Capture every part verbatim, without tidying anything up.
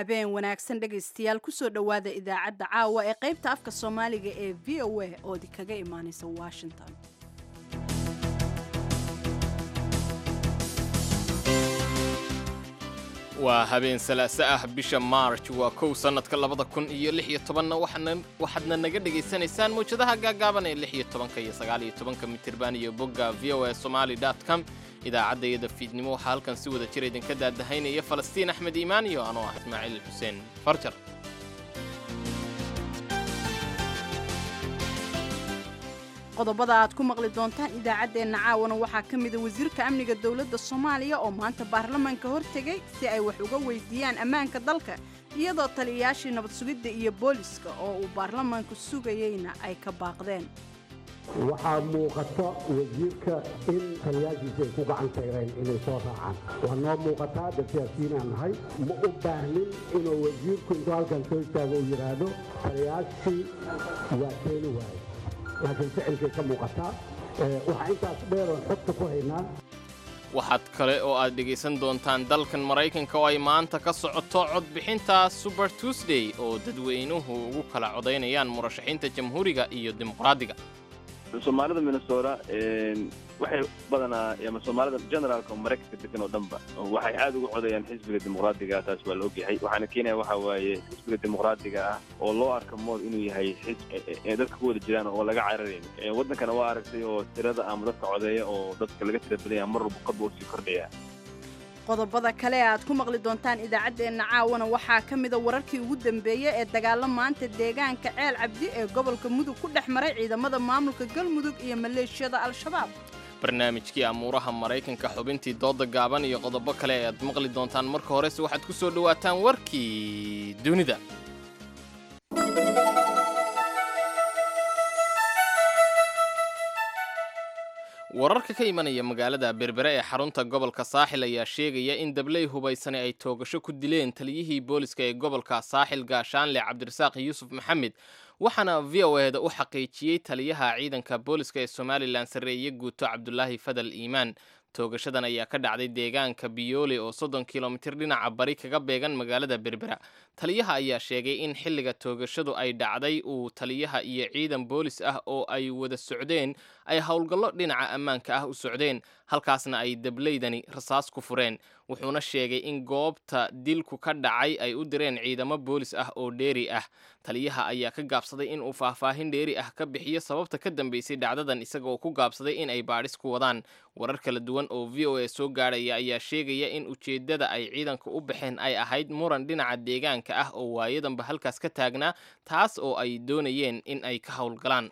Habeen wanaagsan dhegaystayaal, kusoo dhowaada idaacadda caawa ee qaybta afka Soomaaliga ee V O A oo idinkaga imaanaysa Washington. Waa habeen salaaso ah, bisha Maarj waa kow, sannadka labada kun iyo lix iyo tobanna. Waxaadna naga dhegaysanaysaan mawjadaha gaagaaban ee lix iyo tobanka iyo sagaal iyo tobanka mitirban iyo bogga V O A Somali dot com. Idaacaddayada fiidnimo waxaa halkan si wada jir idinka daadahaynaya Falastiin Axmed Iimaan iyo anoo ah Ismaaciil Xuseen Farjar. Qodobada aad ku maqli doontaan idaacaddeenna caawana waxaa ka mida wasiirka amniga dowladda Soomaaliya oo maanta baarlamaanka hortegay si ay wax uga weydiiyaan ammaanka dalka, iyadoo taliyayaashii nabad sugidda iyo booliska oo uu baarlamaanku sugayeyna ay ka baaqdeen. Waxaa muuqata wasiirka in taliyaashiisa ay ku gacan sayreen inay soo raacaan. Waa noo muuqataa, dad siyaasiyiinaan nahay, ma u baahnin inuu wasiirku intuu halkan soo istaago uu yidhaahdo taliyaashii waa keeni waaye, laakiin ficilkay ka muuqataa. Waxaa intaas dheeroon xogta ku haynaa. Waxaad kale oo aad dhegaysan doontaan dalkan Maraykanka oo ay maanta ka socoto codbixinta Super Tuesday, oo dadweynuhu ugu kala codaynayaan murashaxiinta Jamhuuriga iyo Dimuqraadiga. Soomaalida Minnesota waxay badanaa, ama Soomaalida generaalka Maraykanka degan oo dhanba, waxay aad ugu codayaan xisbiga Dimuqraadiga. Taas waa la ogyahay. Waxaana keenaya waxa waaye xisbiga Dimuqraadiga ah oo loo arka mood inuu yahay xisbi dadka ku wada jiraan oo laga cararayn waddankana. Waa aragtay oo tirada ama dadka codeeya oo dadka laga tira badanya mar walba qadba usii kordhaya. Qodobada kale e aad ku maqli doontaan idaacaddeenna caawana waxaa ka mida wararkii ugu dambeeyey ee dagaalo maanta deegaanka Ceel Cabdi ee gobolka Mudug ku dhex maray ciidamada maamulka Galmudug iyo maleeshiyada Al-Shabaab. Barnaamijkii amuuraha Maraykanka, xubintii dooda gaaban iyo qodobo kale ayaad maqli doontaan. Marka horese waxaad ku soo dhowaataan warkii dunida. Wararka ka imanaya magaalada Berbere ee xarunta gobolka Saaxil ayaa sheegaya in dabley hubaysani ay toogasho ku dileen taliyihii booliska ee gobolka Saaxil, Gaashaanle Cabdirasaaq Yuusuf Maxamed. Waxaana V O eda u xaqiijiyey taliyaha ciidanka booliska ee Somalilan, sarreeye guuto Cabdulaahi Fadal Iimaan. Toogashadan ayaa ka dhacday deegaanka Biyoole oo soddon kilomitir dhinaca bari kaga beegan magaalada Berbera. Taliyaha ayaa sheegay in xilliga toogashadu ay dhacday uu taliyaha iyo ciidan boolis ah oo ay wada socdeen ay howlgallo dhinaca ammaanka ah u socdeen, halkaasna ay dableydani rasaas ku fureen. Wuxuuna sheegay in goobta dilku ka dhacay ay u direen ciidamo boolis ah oo dheeri ah. Taliyaha ayaa ka gaabsaday in uu faahfaahin dheeri ah ka bixiyo sababta ka dambeysay dhacdadan, isagaoo ku gaabsaday in ay baadhis ku wadaan. Warar kala duwan oo V O A soo gaadhaya ayaa sheegaya in ujeeddada ay ciidanka u baxeen ay ahayd muran dhinaca deegaanka ah oo waayadanba halkaas ka taagnaa, taas oo ay doonayeen in ay ka howlgalaan.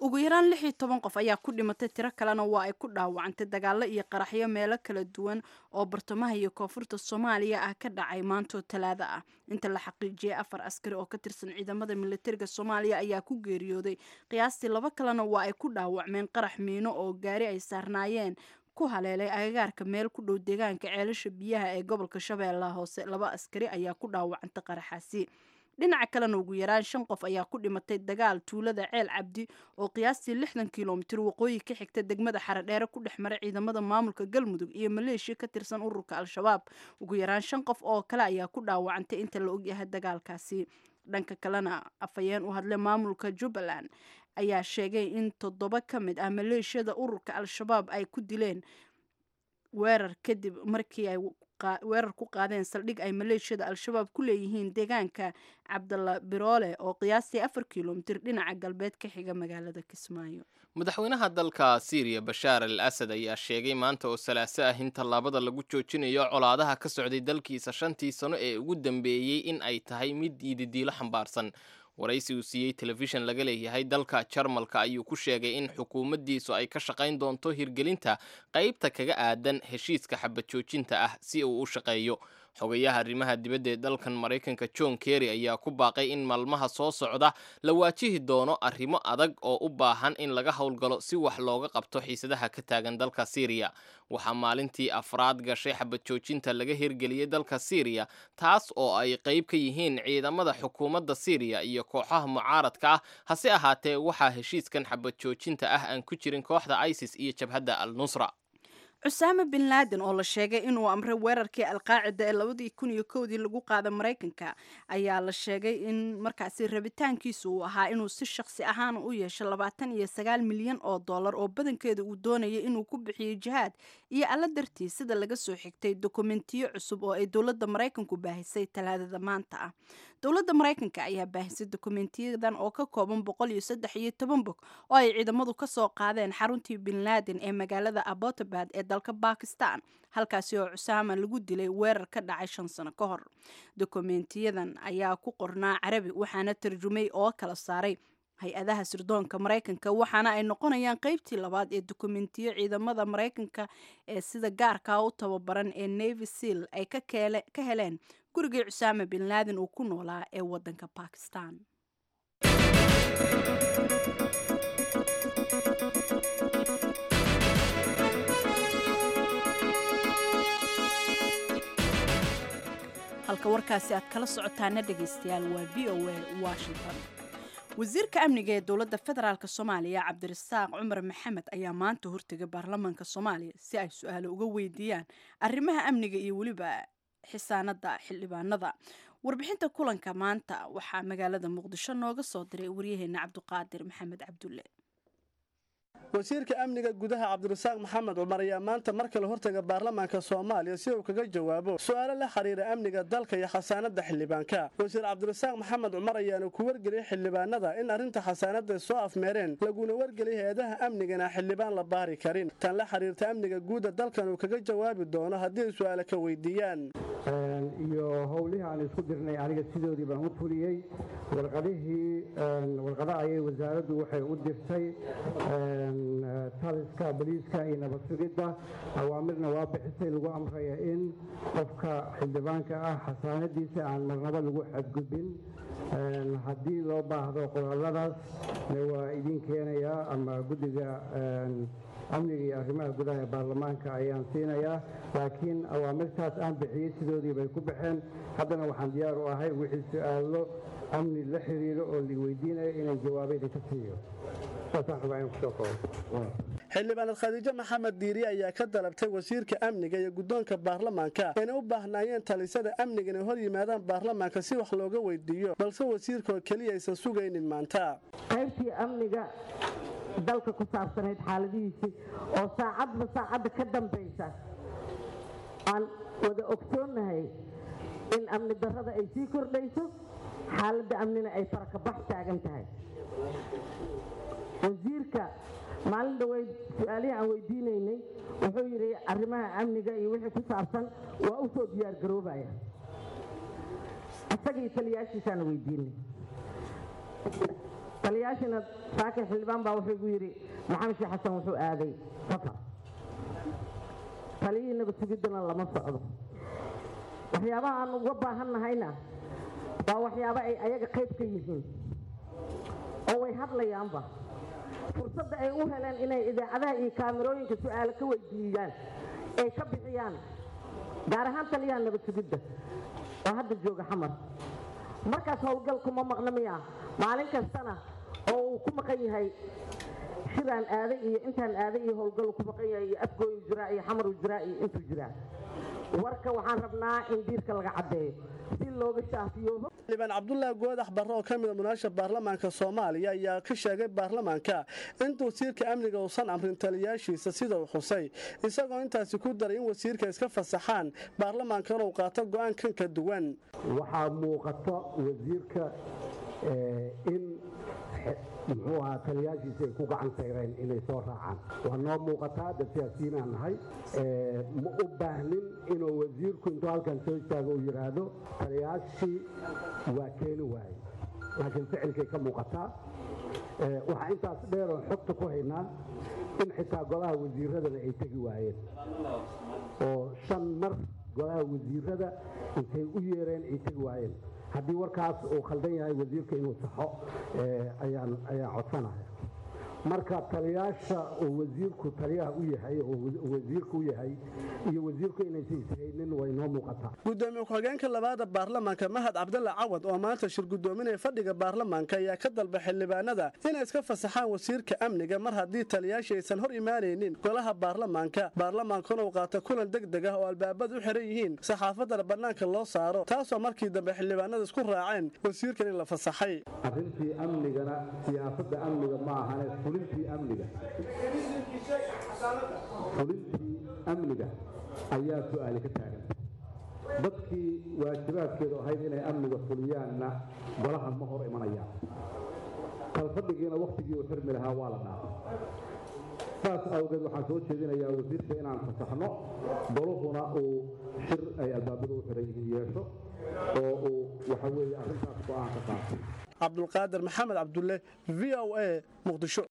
Ugu yaraan lix iyo toban qof ayaa ku dhimatay, tiro kalena waa ay ku dhaawacantay dagaallo iyo qaraxyo meelo kala duwan oo bartamaha iyo koonfurta Soomaaliya ah ka dhacay maantoo Talaada ah. Inta la xaqiijiyey, afar askari oo ka tirsan ciidamada militariga Soomaaliya ayaa ku geeriyooday, qiyaastii laba kalena waa ay ku dhaawacmeen qarax miino oo gaari ay saarnaayeen ku haleelay agagaarka meel ku dhow deegaanka Ceelasha Biyaha ee gobolka Shabeellaha Hoose. Laba askari ayaa ku dhaawacantay qaraxaasi. Dhinaca kalena, ugu yaraan shan qof ayaa ku dhimatay dagaal tuulada Ceel Cabdi oo qiyaastii lixdan kilomitir waqooyi ka xigta degmada Xaradheere ku dhex maray ciidamada maamulka Galmudug iyo maleeshiya ka tirsan ururka Al-Shabaab. Ugu yaraan shan qof oo kale ayaa ku dhaawacantay inta la ogyahay dagaalkaasi. Dhanka kalena, afhayeen u hadlay maamulka Jubbaland ayaa sheegay in toddoba ka mid ah maleeshiyada ururka Al-Shabaab ay ku dileen weerar kadib markii ay weerar ku qaadeen saldhig ay maleeshiyada Al-Shabaab ku leeyihiin deegaanka Cabdalla Biroole oo qiyaastii afar kilomitir dhinaca galbeed ka xiga magaalada Kismaayo. Madaxweynaha dalka Siiriya Bashaar al Asad ayaa sheegay maanta oo salaaso ah in tallaabada lagu joojinayo colaadaha ka socday dalkiisa shantii sano ee ugu dambeeyey in ay tahay mid yididiilo xambaarsan. Waraysi uu siiyey telefishan laga leeyahay dalka Jarmalka ayuu ku sheegay in xukuumaddiisu ay ka shaqayn doonto hirgelinta qaybta kaga aadan heshiiska xabad joojinta ah si uu u shaqeeyo. Xogayaha arrimaha dibadda ee dalkan Maraykanka John Kerry ayaa ku baaqay in maalmaha soo socda la waajihi doono arrimo adag oo u baahan in laga howlgalo si wax looga qabto xiisadaha ka taagan dalka Siiriya. Waxaa maalintii afraad gashay xabad joojinta laga hirgeliyey dalka Siiriya, taas oo ay qayb ka yihiin ciidamada xukuumadda Siiriya iyo kooxaha mucaaradka ah. Hase ahaatee, waxaa heshiiskan xabad joojinta ah aan ku jirin kooxda ISIS iyo jabhadda Al Nusra. Cusaame bin Laaden oo la sheegay inuu amray weerarkii Alqaacida ee labadii kun iyo kowdii lagu qaada Maraykanka ayaa la sheegay in markaasi rabitaankiisu uu ahaa inuu si shaqsi ahaan u yeesho labaatan iyo sagaal milyan oo dollar oo badankeeda uu doonayay inuu ku bixiyo jihaad iyo alla dartiis, sida laga soo xigtay dokumentiyo cusub oo ay dowladda Maraykanku baahisay Talaadada maanta ah. Dowladda Maraykanka ayaa baahisay dokumentiyadan oo ka kooban boqol iyo saddex iyo toban bog oo ay ciidamadu kasoo qaadeen xaruntii bin Laaden ee magaalada Abbottabad ee dalka Bakistan, halkaasi oo Cusaama lagu dilay weerar ka dhacay shan sano ka hor. Dokumentiyadan ayaa ku qornaa Carabi, waxaana tarjumay oo kala saaray hay-adaha sirdoonka Maraykanka, waxaana ay noqonayaan qeybtii labaad ee dokumentiyo ciidamada Maraykanka ee sida gaarkaa u tababaran ee Navy Seal ay ka heleen gurigii Cusaama bin Laaden uu ku noolaa ee wadanka Bakistan. Halka warkaasi aad kala socotaana, dhegaystayaal, waa V O A Washington. Wasiirka amniga ee dowladda federaalk Soomaaliya, Cabdirasaaq Cumar Maxamed, ayaa maanta hortegay baarlamaanka Soomaaliya si ay su-aalo uga weydiiyaan arrimaha amniga iyo weliba xisaanada xildhibaanada. Warbixinta kulanka maanta waxaa magaalada Muqdisho nooga soo diray waryaheena Cabdiqaadir Maxamed Cabdulle. Wasiirka amniga gudaha Cabdirasaaq Maxamed Cumar ayaa maanta mar kale hortaga baarlamaanka Soomaaliya si uu kaga jawaabo su'aalo la xiriira amniga dalka iyo xasaanada xildhibaanka. Wasiir Cabdirasaaq Maxamed Cumar ayaana ku wargeliyey xildhibaanada in arrinta xasaanada soo afmeereen, laguna wargeliyey hay-adaha amnigana xildhibaan la baari karin. Tan la xiriirta amniga guuda dalkan uu kaga jawaabi doono haddii ay su'aalo ka weydiiyaan. Iyo howlihii aan isku dirnay aniga sidoodii baan u fuliyey. Warqadihii, warqada ayay wasaaraddu waxay u dirtay taliska boliiska iyo nabad sugidda, awaamirna waa bixisay lagu amraya in qofka xildhibaanka ah xasaanadiisa aan marnabo lagu xadgudbin. Haddii loo baahdo qoraalladaas waa idiin keenayaa ama guddiga amniga iyo arrimaha gudaha ee baarlamaanka ayaan siinayaa, laakiin awaamirtaas aan bixiyey sidoodii bay ku baxeen. Haddana waxaan diyaar u ahay wixii su-aalo amni la xiriiro oo la weydiinayo inaan jawaabo idinka siiyo. Saasaan rabaa inaan kusoo koobo. Xildhibaanad Khadiijo Maxamed Diiri ayaa ka dalabtay wasiirka amniga iyo guddoonka baarlamaanka inay u baahnaayeen talisada amniga inay hor yimaadaan baarlamaanka si wax looga weydiiyo, balse wasiirka oo keliya aysan sugaynin maanta. Qaybtii amniga dalka ku saabsanayd, xaaladihiisii oo saacadba saacadda ka dambaysa aan wada ogsoonnahay in amni darrada ay sii kordhayso, xaaladda amnina ay farakabax taagan tahay. Wasiirka maalin dhaweyd su-aalihii aan weydiinaynay wuxuu yidhi arrimaha amniga iyo wixii ku saabsan waa u soo diyaargaroobaya. Isagii taliyaashiisaana weydiinay. Taliyaashina saakir xildhibaan baa wuxuu igu yidhi Maxamed Sheekh Xasan wuxuu aaday safar, taliyihii nabad sugiddana lama socdo. Waxyaabaha aan uga baahan nahayna waa waxyaabo ay ayaga qayb ka yihiin oo way hadlayaanba. Fursadda ay u heleen inay idaacadaha iyo kaamirooyinka su-aalo ka weydiiyaan ay ka bixiyaan, gaar ahaan taliyaha nabad sugidda oo hadda jooga Xamar, markaas howlgal kuma maqna miya? Maalin kastana oo uu ku maqan yahay shiraan aaday iyo intaan aaday iyo howlgal ku maqan yahay iyo Afgooyu jiraa iyo Xamaru jiraa iyo intuu jiraa. Warka waxaan rabnaa in diirka laga caddeeyo si looga shaafiyoobo. Xildhibaan Cabdulaahi Goodax Barre oo ka mid a munaasha baarlamaanka Soomaaliya ayaa ka sheegay baarlamaanka in wasiirka amniga uusan amrin taliyaashiisa sida uu xusay, isagoo intaasi ku daray in wasiirka iska fasaxaan baarlamaanka inuu qaato go'aan kan ka duwan. Waxaa muuqata wasiirka in muxuu ahaa taliyaashiisa ay ku gacan sayreen inay soo raacaan. Waa noo muuqataa, dad siyaasiyiinaan nahay. Ma u baahnin inuu wasiirku intuu halkan soo istaago uu yidhaahdo taliyaashii waa keeni waaye, laakiin ficilkay ka muuqataa. Waxaa intaas dheer oon xogta ku haynaa in xitaa golaha wasiiradana ay tegi waayeen, oo shan mar golaha wasiirada intay u yeereen ay tegi waayeen. Haddii warkaas uu khaldan yahay, wasiirka inuu saxo ayaan ayaan codsanaya. Marka taliyaasha oo wasiirku taliyaha u yahay oo wasiirku u yahay iyo wasiirku inaysan ishaynin way noo muuqataa. Gudoomiye ku-xigeenka labaada baarlamaanka Mahad Cabdalla Cawad oo maanta shir gudoominaya fadhiga baarlamaanka ayaa ka dalba xildhibaanada inay iska fasaxaan wasiirka amniga mar haddii taliyaasha aysan hor imaanaynin golaha baarlamaanka, baarlamaankuna uu qaato kulan deg deg ah oo albaabada u xiran yihiin, saxaafadana bannaanka loo saaro, taasoo markii dambe xildhibaanada isku raaceen wasiirkan in la fasaxay. Arrintii amnigana siyaasadda amniga ma ahane fulintii amniga fulintii amniga ayaa su'aali ka taagan. Dadkii waajibaadkeedu ahayd inay amniga fuliyaanna golaha ma hor imanayaan. Kalfadhigiina wakhtigii uu xirmi lahaa waa la dhaafay. Saas awgeed waxaan soo jeedinayaa wasiirka inaan fasaxno, goluhuna uu shir ay albaabadu u xiran yihiin yeesho oo uu waxa weeye arrintaas go'aan ka qaato. Cabdulqaadir Maxamed Cabdulle, V O A, Muqdisho.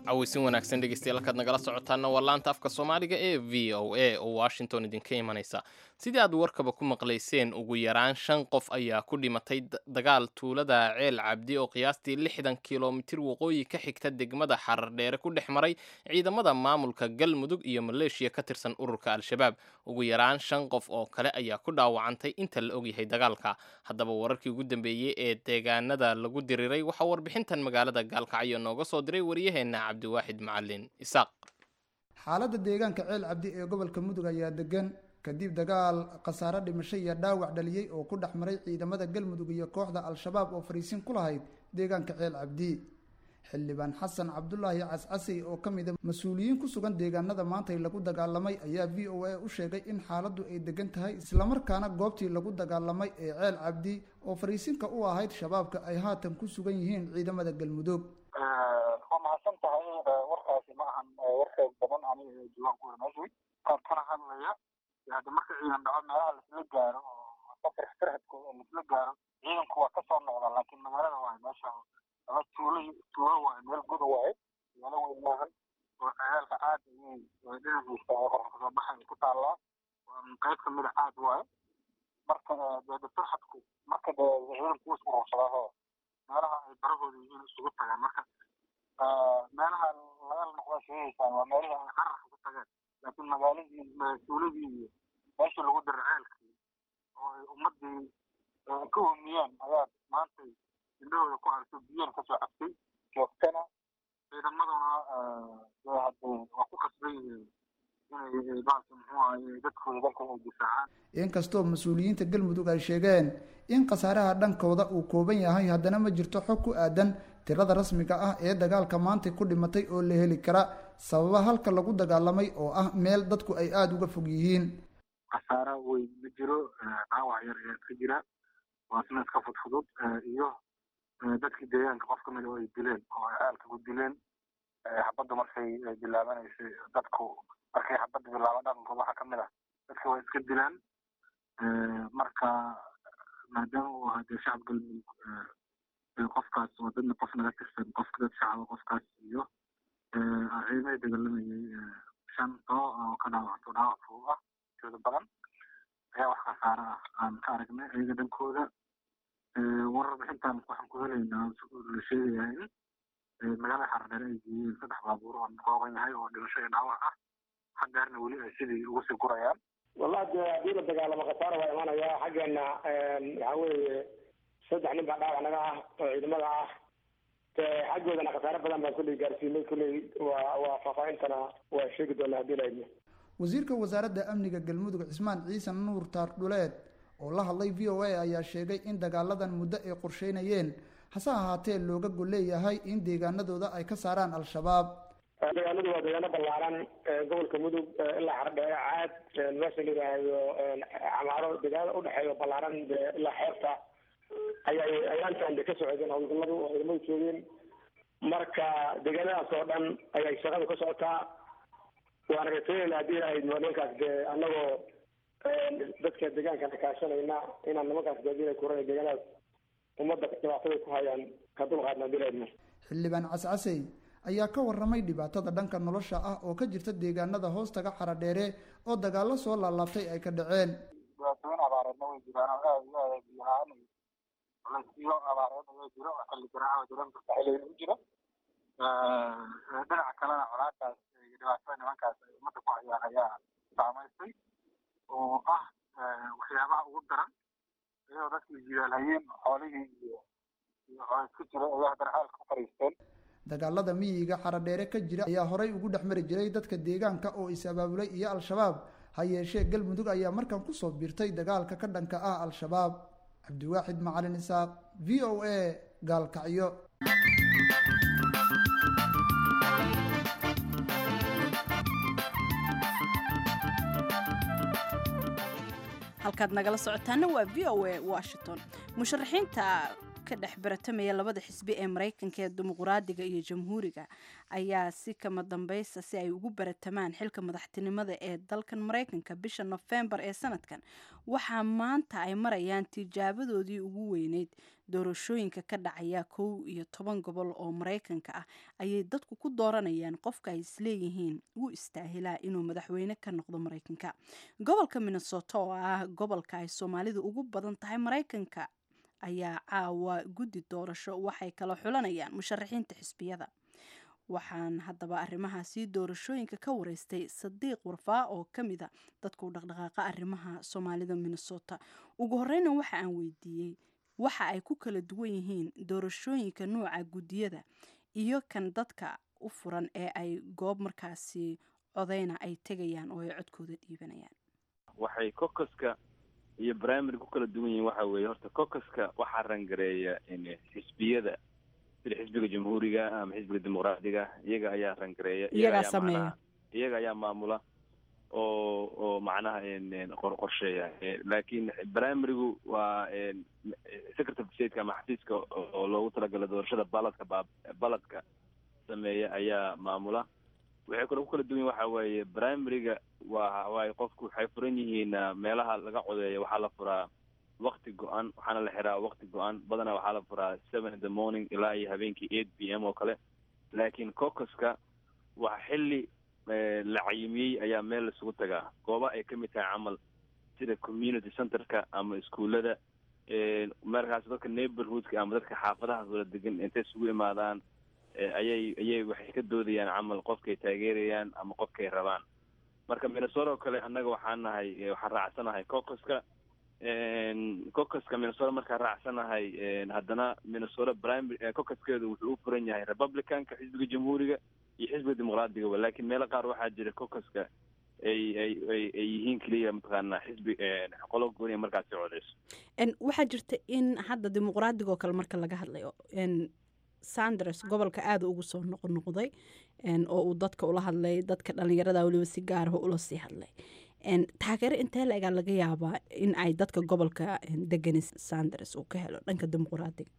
Cawaysin wanaagsan dhegeystayaal, halkaad nagala socotaana waa laanta afka Soomaaliga ee V O A oo Washington idinka imanaysa. Sidii aad warkaba ku maqlayseen, ugu yaraan shan qof ayaa ku dhimatay dagaal tuulada Ceel Cabdi oo qiyaastii lixdan kilomitir waqooyi ka xigta degmada Xarardheere ku dhex maray ciidamada maamulka Galmudug iyo Maleeshiya ka tirsan ururka Al-Shabaab. Ugu yaraan shan qof oo kale ayaa ku dhaawacantay inta la ogyahay dagaalka. Haddaba wararkii ugu dambeeyey ee deegaanada lagu diriiray waxaa warbixintan magaalada Gaalkacyo nooga soo diray waryaheena Cabdiwaaxid Macalin Isaaq. Xaaladda deegaanka Ceel Cabdi ee gobolka Mudug ayaa degan kadib dagaal khasaare dhimasho iyo dhaawac dhaliyey oo ku dhex maray ciidamada Galmudug iyo kooxda Al-Shabaab oo fariisin ku lahayd deegaanka Ceel Cabdi. Xildhibaan Xasan Cabdulaahi Cascasey oo ka mid a mas-uuliyiin ku sugan deegaanada maantay lagu dagaalamay ayaa V O A u sheegay in xaaladdu ay degan tahay, islamarkaana goobtii lagu dagaalamay ee Ceel Cabdi oo fariisinka u ahayd shabaabka ay haatan ku sugan yihiin ciidamada Galmudug. Waa mahadsan tahay. Warkaasi ma ahan war xoog badan, aniga diiwaan ku meeshay qaab kana hadlaya. Hadda marka ciidan dhaco meelaha laisla gaaro oo safar farxadkooda laisla gaaro, ciidanku waa kasoo noqda, laakiin magaalada waaye meesha ama tuulo tuulo waaye, meel guda waaye, magaalo weyn maahan oo ciyaalka aad ayay dhinaciisa qorax kasoo baxay ku taallaa, qayb kamid a aad waaye. Marka dee farxadku marka dee ciidanku is urursadaaho meelaha ay barahooda yihiin isugu tagaan. Marka meelaha laga noqda sheegaysaan waa meelihii ay cararka ku tageen, laakiin magaaladii tuuladii iyo meeshii lagu diray ceelkii oo ay ummadii ka hoomiyeen ayaa maantay indhahooda ku aragtay, biyana kasoo cabtay joogtana. Ciidamaduna hadee waa ku khasban yihiin inay baalka muxuu ahaye dadkooda dalkooda ay difaacaan. Inkastoo mas-uuliyiinta Galmudug ay sheegeen in khasaaraha dhankooda uu kooban yahay, haddana ma jirto xog ku aadan tirada rasmiga ah ee dagaalka maanta ku dhimatay oo la heli kara, sababa halka lagu dagaalamay oo ah meel dadku ay aada uga fog yihiin. Khasaara weyn ma jiro, dhaawac yar ayaa iska jira, waa isna iska fudfudud, iyo dadkii deegaanka qof kamid oo ay dileen oo ay caalka ku dileen xabadda markay bilaabanaysay. Dadku markay xabadda bilaaba dhaqankooda waxaa kamid ah dadka waa iska dilaan. Marka maadaama uu ahaa dee shacab Galmudug qofkaas oo dadna qof naga tirsan, qofka dad shacaba qofkaas iyo ciidamada dagaalamayay shan too oo ka dhaawacto dhaawac fudud ah intooda badan ayaa wax khasaare ah aan ka aragnay iyaga dhankooda. Warar bixintan waxaan ku helaynaa la sheegayaa in magaalada Xarardheere ay geeyeen saddex baabuur oo kooban yahay oo dhimasho iyo dhaawac ah, haddeerna weli ay sidii ugu sii gurayaan. Wallahi dee haddii la dagaalamo khasaara waa imanaya. Xaggeena waxaa weeye saddex nin baa dhaawac naga ah oo ciidamada ah, xaggoodana khasaare badan baan kulley gaarsiinay. Kulley waa waa faahfaahintana waa sheegi doonaa haddii la idmo. Wasiirka wasaaradda amniga Galmudug Cismaan Ciise Nuur Taardhuleed oo la hadlay V O A ayaa sheegay in dagaaladan muddo ay qorsheynayeen, hase ahaatee looga gol leeyahay in deegaanadooda ay ka saaraan Al-Shabaab. Dagaaladu waa deegaano ballaaran gobolka Mudug ilaa Xardheere, Caad, meesha la yidhaahdo Camaaro, deegaanada udhexeeya ballaaran ilaa xeebta ayay ayaantan de ka socdeen howlgalladu oo ciidamadu joogeen. Marka deegaanadaas oo dhan ayay shaqadu ka socotaa, waana rajaynayna haddii ilaahay nimankaas dee annagoo dadka deegaankana kaashanayna inaan nimankaas gaadiina kuranay deegaanadaas ummadda dhibaatada ku hayaan ka dulqaadna haddii ilaahay. Xildhibaan Cascasey ayaa ka warramay dhibaatada dhanka nolosha ah oo ka jirta deegaanada hoostaga Xaradheere oo dagaallo soo laalaabtay ay ka dhaceen. Dhibaatooyin abaar Abaareedna way jiraan oo aada iyo aada biyo la-aan iyo culaysyo abaareed ayaa jiro oo xilli garaaca oo dareemka xilligan u jiro. Dhinaca kalena colaadaas iyo dhibaatada nimankaas ay ummadda ku hayaan ayaa saamaysay oo ah waxyaabaha ugu daran, iyadoo dadkii jidaal hayeen, xoolihii iyo iyo colays ku jira ayaa haddana xaalka ku fariisteen. Dagaalada miyiga Xaradheere ka jira ayaa horay ugu dhex mari jiray dadka deegaanka oo is abaabulay iyo Al-Shabaab. Ha yeeshee Galmudug ayaa markan kusoo biirtay dagaalka ka dhanka ah Al-Shabaab. Cabdiwaaxid Macalin Isaaq, V O A, Gaalkacyo. Halkaad nagala socotaana waa V O A Washington. Musharaxiinta ka dhex baratamaya labada xisbi ee Maraykanka ee Dimuqraadiga iyo Jamhuuriga ayaa si kama dambaysa si ay ugu baratamaan xilka madaxtinimada ee dalkan Maraykanka bisha Nofembar ee sanadkan, waxaa maanta ay marayaan tijaabadoodii ugu weyneyd. Doorashooyinka ka dhacaya kow iyo toban gobol oo Maraykanka ah ayay dadku ku dooranayaan qofka ay isleeyihiin wuu istaahilaa inuu madaxweyne ka noqdo Maraykanka. Gobolka Minnesota, oo ah gobolka ay Soomaalidu ugu badan tahay Maraykanka, ayaa caawa guddi doorasho waxay kala xulanayaan musharaxiinta xisbiyada. Waxaan haddaba arrimahaasi doorashooyinka ka wareystay Sadiiq Warfaa oo ka mid a dadka u dhaqdhaqaaqa arrimaha Soomaalida Minnesota. Ugu horeyna waxa aan weydiiyey waxa ay ku kala duwan yihiin doorashooyinka nuuca guddiyada iyo kan dadka u furan ee ay goob markaasi codeyna ay tegayaan oo ay codkooda dhiibanayaan. Waxay caucuska iyo primary ku kala duwan yihiin waxa weeye, horta caucuska waxaa rangareeya xisbiyada, sida Xisbiga Jamhuuriga ama Xisbiga Dimuqraadiga, iyaga ayaa rangareeya. Iyagaa sameeya. Iyaga ayaa maamula oo oo macnaha qor qorsheeya Laakiin primarygu waa secretary of stateka ama xafiiska oo loogu talagalay doorashada ballotka ba ballotka sameeya ayaa maamula. Waxay kaloo ku kala duwan yihin waxa weeye, primaryga waa waay qofku waxay furan yihiin meelaha laga codeeyo. Waxaa la furaa wakti go-an, waxaana la xiraa wakti go-an. Badanaa waxaa la furaa seven in the morning ilaa iyo habeenkii eight p m oo kale. Laakiin caucuska waa xilli la cayimiyey ayaa meel laisugu tagaa, gooba ay kamid tahay camal sida community centerka ama iskuullada. Markaas dadka neighborhoodka ama dadka xaafadaha wada degan intay isugu imaadaan ayay ayay waxay ka doodayaan camal qofkay taageerayaan ama qofkay rabaan. Marka Minnesota oo kale annaga waxaan nahay waxaan raacsanahay caucuska. Caucuska Minnesota markaan raacsanahay, haddana Minnesota primary caucuskeedu wuxuu u furan yahay Republicanka, Xisbiga Jamhuuriga iyo Xisbiga Dimuqraadiga. Laakiin meelo qaar waxaa jira caucuska ay ay ay ay yihiin keliya mataqaanaa xisbi qolo gooniya markaasi codeyso. Waxaa jirta in hadda Dimuqraadiga oo kale marka laga hadlayo, Sanders gobolka aada ugu soo noqnoqday oo uu dadka ula hadlay, dadka dhalinyarada weliba si gaaraha ula sii hadlay. Taageero intee la-egaa laga yaabaa in ay dadka gobolka degani Sanders uu ka helo dhanka Dimuqraadiga?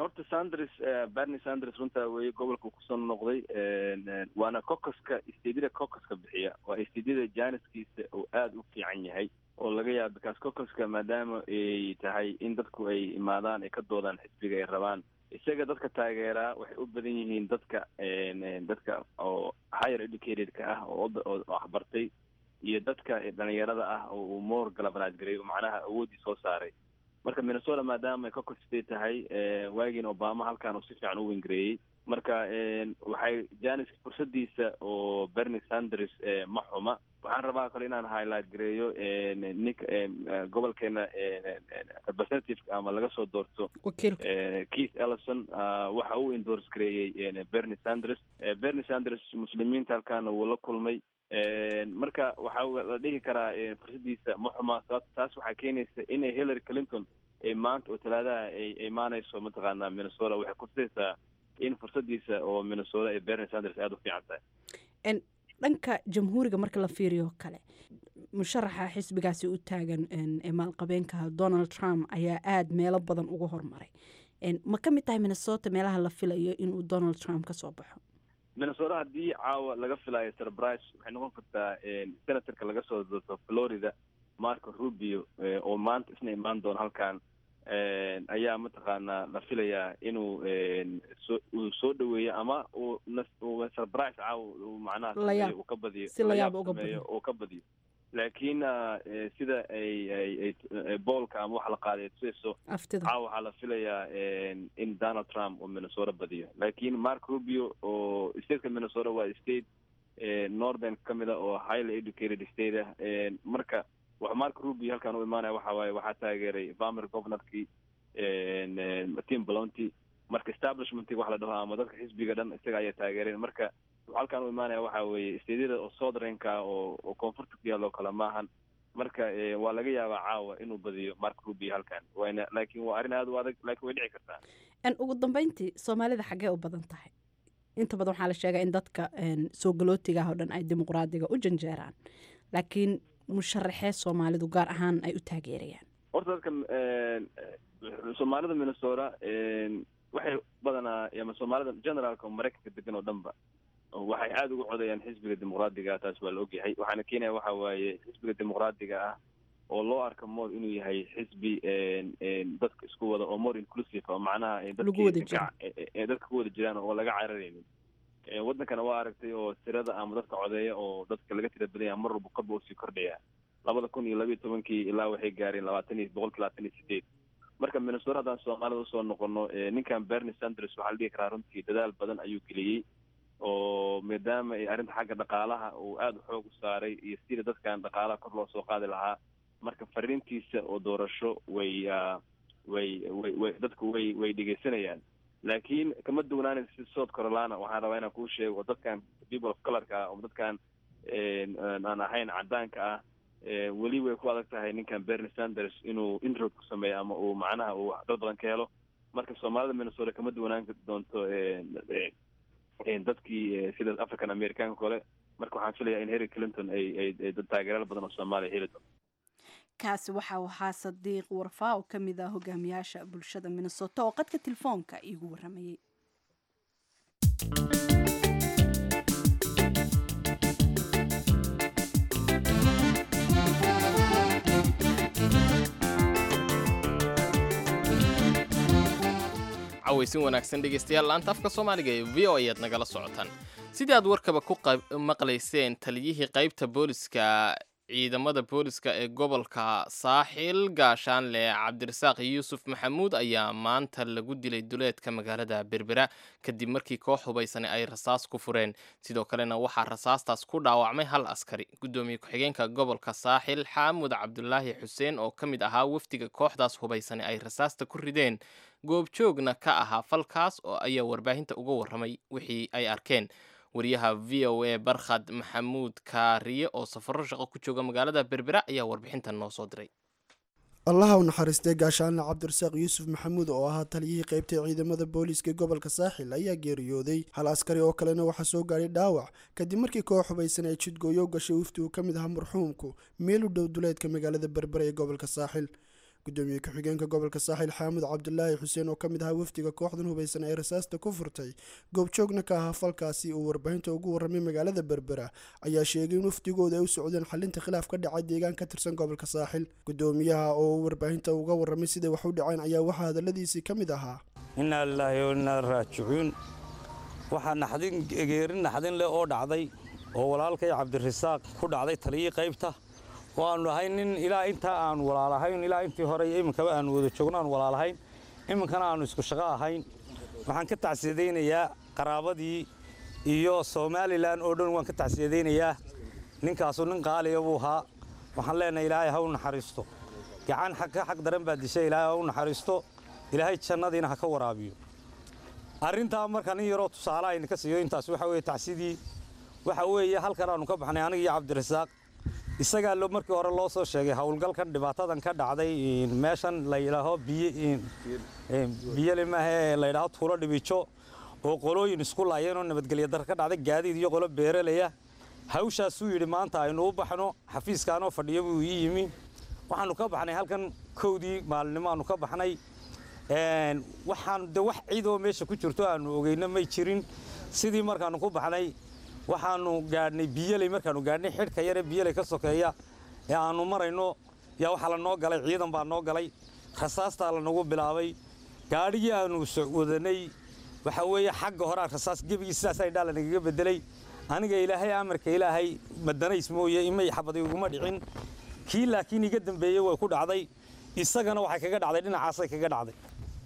Horta Sanders, Bernie Sanders, runtaa weeye gobolka kusoo noqday, waana caucuska stateyada caucuska bixiya, waa stateyada chancekiisa uu aada u fiican yahay oo laga yaaba, because caucuska maadaama ay tahay in dadku ay imaadaan, ay ka doodaan xisbiga ay rabaan. Isaga dadka taageeraa waxay u badan yihiin dadka dadka oo higher educated-ka ah oo oo waxbartay iyo dadka dhalinyarada ah oo uu more galvanize gareeyo, macnaha awooddii soo saaray. Marka Minnesota maadaama ay caucus state tahay, waagiina Obama halkan uu si fiican u win gareeyey, marka waxay chance fursadiisa oo Bernie Sanders ma xuma. Waxaan rabaa kale inaan highlight gareeyo ninka gobolkeena representative ama laga soo doorto, Keith Ellison, waxa uu endorse gareeyey Bernie Sanders. Bernie Sanders Muslimiinta halkaana wuu la kulmay. Marka waxaa la dhihi karaa fursadiisa ma xuma. Taas waxaa keenaysa inay Hillary Clinton ay maanta oo Talaadaha ay imaanayso mataqaanaa Minnesota, waxay kutusaysaa in fursadiisa oo Minnesota ee Bernie Sanders aada u fiican tahay. Dhanka Jamhuuriga marka la fiiriyo kale, musharaxa xisbigaasi u taagan ee maalqabeenka Donald Trump ayaa aada meelo badan uga hormaray. Ma ka mid tahay Minnesota meelaha la filayo inuu Donald Trump kasoo baxo? Minnesota haddii caawa laga filayo surprise, waxay noqon kartaa senatorka laga soo doorto Florida, Marco Rubio, oo maanta isna imaan doono halkan, ayaa mataqaanaa la filayaa inuu soo uu soo dhaweeyo ama uu surprise caawa uu macnaha sameeyo, uu ka badiyo. Si layaab uga badiyo, uu ka badiyo. Laakiin sida ay ay poll-ka ama waxa la qaaday tusayso, caawa waxaa la filayaa in Donald Trump uu Minnesota badiyo. Laakiin Mark Rubio oo stateka Minnesota waa state northern ka mid a oo highly educated state ah. Marka wax Mark Rubio halkaan u imaanaya waxa waaye waxaa taageeray former governorkii Tim Pawlenty. Marka establishmentig waxa la dhaho ama dadka xisbiga dhan isaga ayaa taageereen. Marka wuxuu halkaan u imaanaya waxa weeye stateyada oo southernka oo oo koonfurta ku yaalla oo kale maahan. Marka waa laga yaabaa caawa inuu badiyo Mark Rubio halkan, wayna laakiin waa arrin aada u adag, laakiin way dhici kartaa. Ugu dambeyntii, Soomaalida xaggee u badan tahay? Inta badan waxaa la sheegaa in dadka soo galootiga ah oo dhan ay Dimuqraadiga u janjeeraan, laakiin musharaxee Soomaalidu gaar ahaan ay u taageerayaan? Horta dadka Soomaalida Minnesota waxay badanaa ama Soomaalida generaalka Maraykanka degan oo dhanba waxay aada ugu codayaan xisbiga Dimuqraadiga. Taas waa la ogyahay. Waxaana keenaya waxa waaye xisbiga Dimuqraadiga ah oo loo arka more inuu yahay xisbi dadka isku wada oo more inclusive oo macnaha dadka ku wada jiraan oo laga cararaynin. Waddankana waa aragtay oo tirada ama dadka codeeya oo dadka laga tira badan yaha mar walba korba usii kordhaya. Labada kun iyo labayo tobankii ilaa waxay gaareen labaatan iyo boqolki labaatan iyo sideed. Marka Minnesota haddaan Soomaalida usoo noqono, ninkan Bernie Sanders waxaa la dhihi karaa runtii dadaal badan ayuu geliyey, oo maadaama ay arrinta xagga dhaqaalaha uu aada xoog u saaray iyo sida dadkan dhaqaalaha kor loo soo qaadi lahaa. Marka fariintiisa oo doorasho way way way way dadku way way dhegeysanayaan, laakiin kama duwanaanaysa si South Carolina. Waxaan rabaa inaan kuu sheego oo dadkan people of colorka ah oo dadkan aan ahayn cadaanka ah weli way ku adag tahay ninkan Bernie Sanders inuu inroad ku sameeyo ama uu macnaha uu dad badan ka helo. Marka Soomaalida Minnesota kama duwanaan doonto dadkii sida African Americanka kale. Marka waxaan filayaa in Hillary Clinton ay ay dad taageerayaal badan oo Soomaaliya heli doonto. Kaasi waxa uu ahaa Sadiiq Warfaa oo ka mid ah hogaamiyaasha bulshada Minnesota oo qadka telefoonka iigu waramayay. Cawaysin wanaagsan dhegeystayaal, laanta afka Soomaaliga ee V O A ayaad nagala socotaan. Sidii aad warkaba ku maqlayseen, taliyihii qaybta booliska ciidamada booliska ee gobolka Saaxil, gaashaanle Cabdirasaaq Yuusuf Maxamuud, ayaa maanta lagu dilay duleedka magaalada Berbera kadib markii koox hubaysani ay rasaas ku fureen. Sidoo kalena waxaa rasaastaas ku dhaawacmay hal askari. Guddoomiye ku-xigeenka gobolka Saaxil, Xaamud Cabdulaahi Xuseen, oo ka mid ahaa wafdiga kooxdaas hubaysani ay rasaasta ku rideen, goobjoogna ka ahaa falkaas oo ayaa warbaahinta uga warramay wixii ay arkeen. Wariyaha V O A Barkhad Maxamuud Kaariye oo safarro shaqo ku jooga magaalada Berbera ayaa warbixintan noo soo diray. Allaha u naxariistay gaashaanle Cabdirasaaq Yuusuf Maxamuud oo ahaa taliyihii qaybtay ciidamada booliiska gobolka Saaxil ayaa geeriyooday. Hal askari oo kalena waxaa soo gaadhay dhaawac kadib markii koox hubaysan ay jidgooyo gashay wafdi uu ka mid ahaa marxuumku meel u dhow duleedka magaalada Berbera ee gobolka Saaxil. Gudoomiye ku-xigeenka gobolka Saaxil, Xaamud Cabdulaahi Xuseen, oo ka mid ahaa wafdiga kooxdan hubaysan ee rasaasta ku furtay, goobjoogna ka ahaa falkaasi uu warbaahinta ugu warramay magaalada Berbera, ayaa sheegay in wafdigooda ay u socdeen xalinta khilaaf ka dhacay deegaan ka tirsan gobolka Saaxil. Gudoomiyaha oo warbaahinta uga warramay siday wax u dhaceen ayaa waxaa hadaladiisii ka mid ahaa: Innaa lilaahi wa innaa raajicuun. Waxaa naxdin, geeri naxdin leh oo dhacday oo walaalkay Cabdirasaaq ku dhacday, taliyii qaybta oo aanu ahay nin ilaa intaa aanu walaalahayn, ilaa intii hore iyo iminkaba aanu wada joogno aanu walaalahayn, iminkana aanu isku shaqo ahayn. Waxaan ka tacsiyadaynayaa qaraabadii iyo Somaliland oo dhan. Waan ka tacsiyadaynayaa. Ninkaasu nin qaaliya buu ahaa. Waxaan leenahay Ilaahay ha u naxariisto. Gacan xaq ka xaq daran baa dishay. Ilaahay ha u naxariisto, Ilaahay jannadiina ha ka waraabiyo. Arrintaa marka nin yaroo tusaale ayna ka siiyo, intaas waxa weeye tacsidii. Waxa weeye halkan aanu ka baxnay aniga iyo Cabdirasaaq. Isagaa loo markii hore loo soo sheegay howlgalkan dhibaatadan ka dhacday meeshan la yidhaaho biyo biyeli maahe, la yidhaaho Tuulo Dhibijo, oo qolooyin isku laayeen oo nabadgelyo dar ka dhacday, gaadiid iyo qolo beeralaya. Hawshaasuu yidhi maanta aynu u baxno. Xafiiskaanoo fadhiyo buu ii yimi. Waxaanu ka baxnay halkan kowdii maalinimo aanu ka baxnay. Waxaan de wax ciidoo meesha ku jirto aanu ogeyno may jirin. Sidii markaanu ku baxnay waxaanu gaadhnay Biyeley. Markaanu gaadhnay xidhka yare Biyeley ka sokeeya ee aanu marayno yaa waxaa la noo galay ciidan baa noo galay, rasaastaa lanagu bilaabay. Gaadhigii aanu wadanay waxa weeye xagga horaa rasaas gebigii sidaasaa indhaa lanagaga bedelay. Aniga Ilaahay amarka Ilaahay madanays mooye imay xabadi iguma dhicin. Kii laakiin iga dambeeyey way ku dhacday, isagana waxay kaga dhacday dhinacaasay kaga dhacday.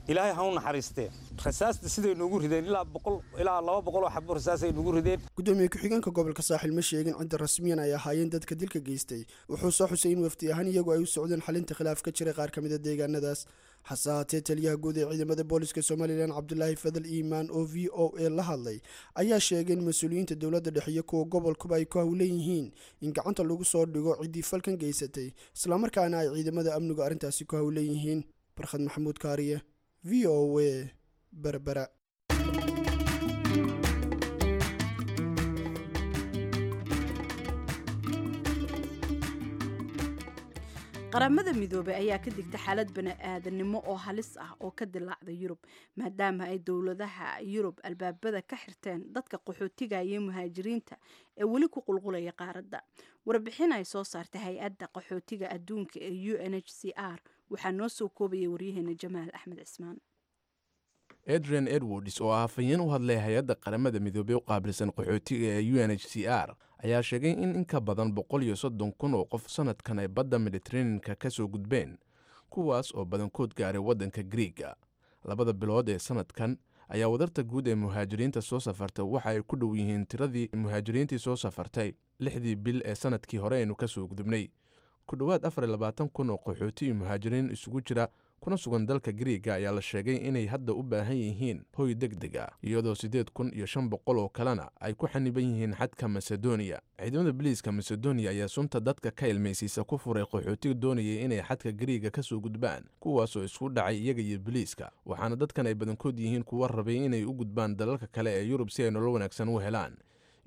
Ilaahay ha u naxariistee. Rasaasta siday noogu rideen ilaa boqol ilaa laba boqol oo xabo rasaasay noogu rideen. Gudoomiye ku-xigeenka gobolka Saaxil ma sheegin cidda rasmiyan ay ahaayeen dadka dilka geystay. Wuxuu soo xusay in wafdi ahaan iyagu ay u socdeen xalinta khilaaf ka jiray qaar ka mid a deegaanadaas. Hase haatee, taliyaha guud ee ciidamada booliska Somalilan, Cabdulaahi Fadal Iimaan, oo V O A la hadlay ayaa sheegay in mas-uuliyiinta dowladda dhexe iyo kuwa gobolkuba ay ku howlan yihiin in gacanta lagu soo dhigo ciddii falkan geysatay, islamarkaana ay ciidamada amnigu arrintaasi ku howlan yihiin. Barkhad Maxamuud Kaariye, V O A, Berbera. Qaramada Midoobay ayaa ka digta xaalad bani-aadanimo oo halis ah oo ka dilaacda Yurub, maadaama ay dowladaha Yurub albaabada ka xirteen dadka qaxootiga iyo muhaajiriinta ee weli ku qulqulaya qaaradda. Warbixin ay soo saartay hay-adda qaxootiga adduunka ee U N H C R waxaa noo soo koobayay waryaheena Jamaal Axmed Cismaan. Adrian Edwards, oo ah afhayeen u hadlay hay-adda Qaramada Midoobey u qaabilsan qaxootiga ee U N H C R, ayaa sheegay in in ka badan boqol iyo soddon kun oo qof sanadkan ay badda Mediteraneanka ka soo gudbeen, kuwaas oo badankood gaaray waddanka Griiga. Labada bilood ee sanadkan ayaa wadarta guud ee muhaajiriinta soo safartay waxa ay ku dhow yihiin tiradii muhaajiriintii soo safartay lixdii bil ee sanadkii hore aynu ka soo gudubnay. Ku dhowaad afar iyo labaatan kun oo qaxooti iyo muhaajiriin isugu jira kuna sugan dalka Griiga ayaa la sheegay inay hadda u baahan yihiin hoy deg deg ah, iyadoo siddeed kun iyo shan boqol oo kalena ay ku xaniban yihiin xadka Macedonia. Ciidamada biliiska Macedonia ayaa sunta dadka ka ilmaysiisa ku furay qaxootiga doonayay inay xadka Griiga ka soo gudbaan, kuwaasoo isku dhacay iyaga iyo biliiska, waxaana dadkan ay badankood yihiin kuwa rabay inay u gudbaan dalalka kale ee Yurub si ay nolol wanaagsan u helaan.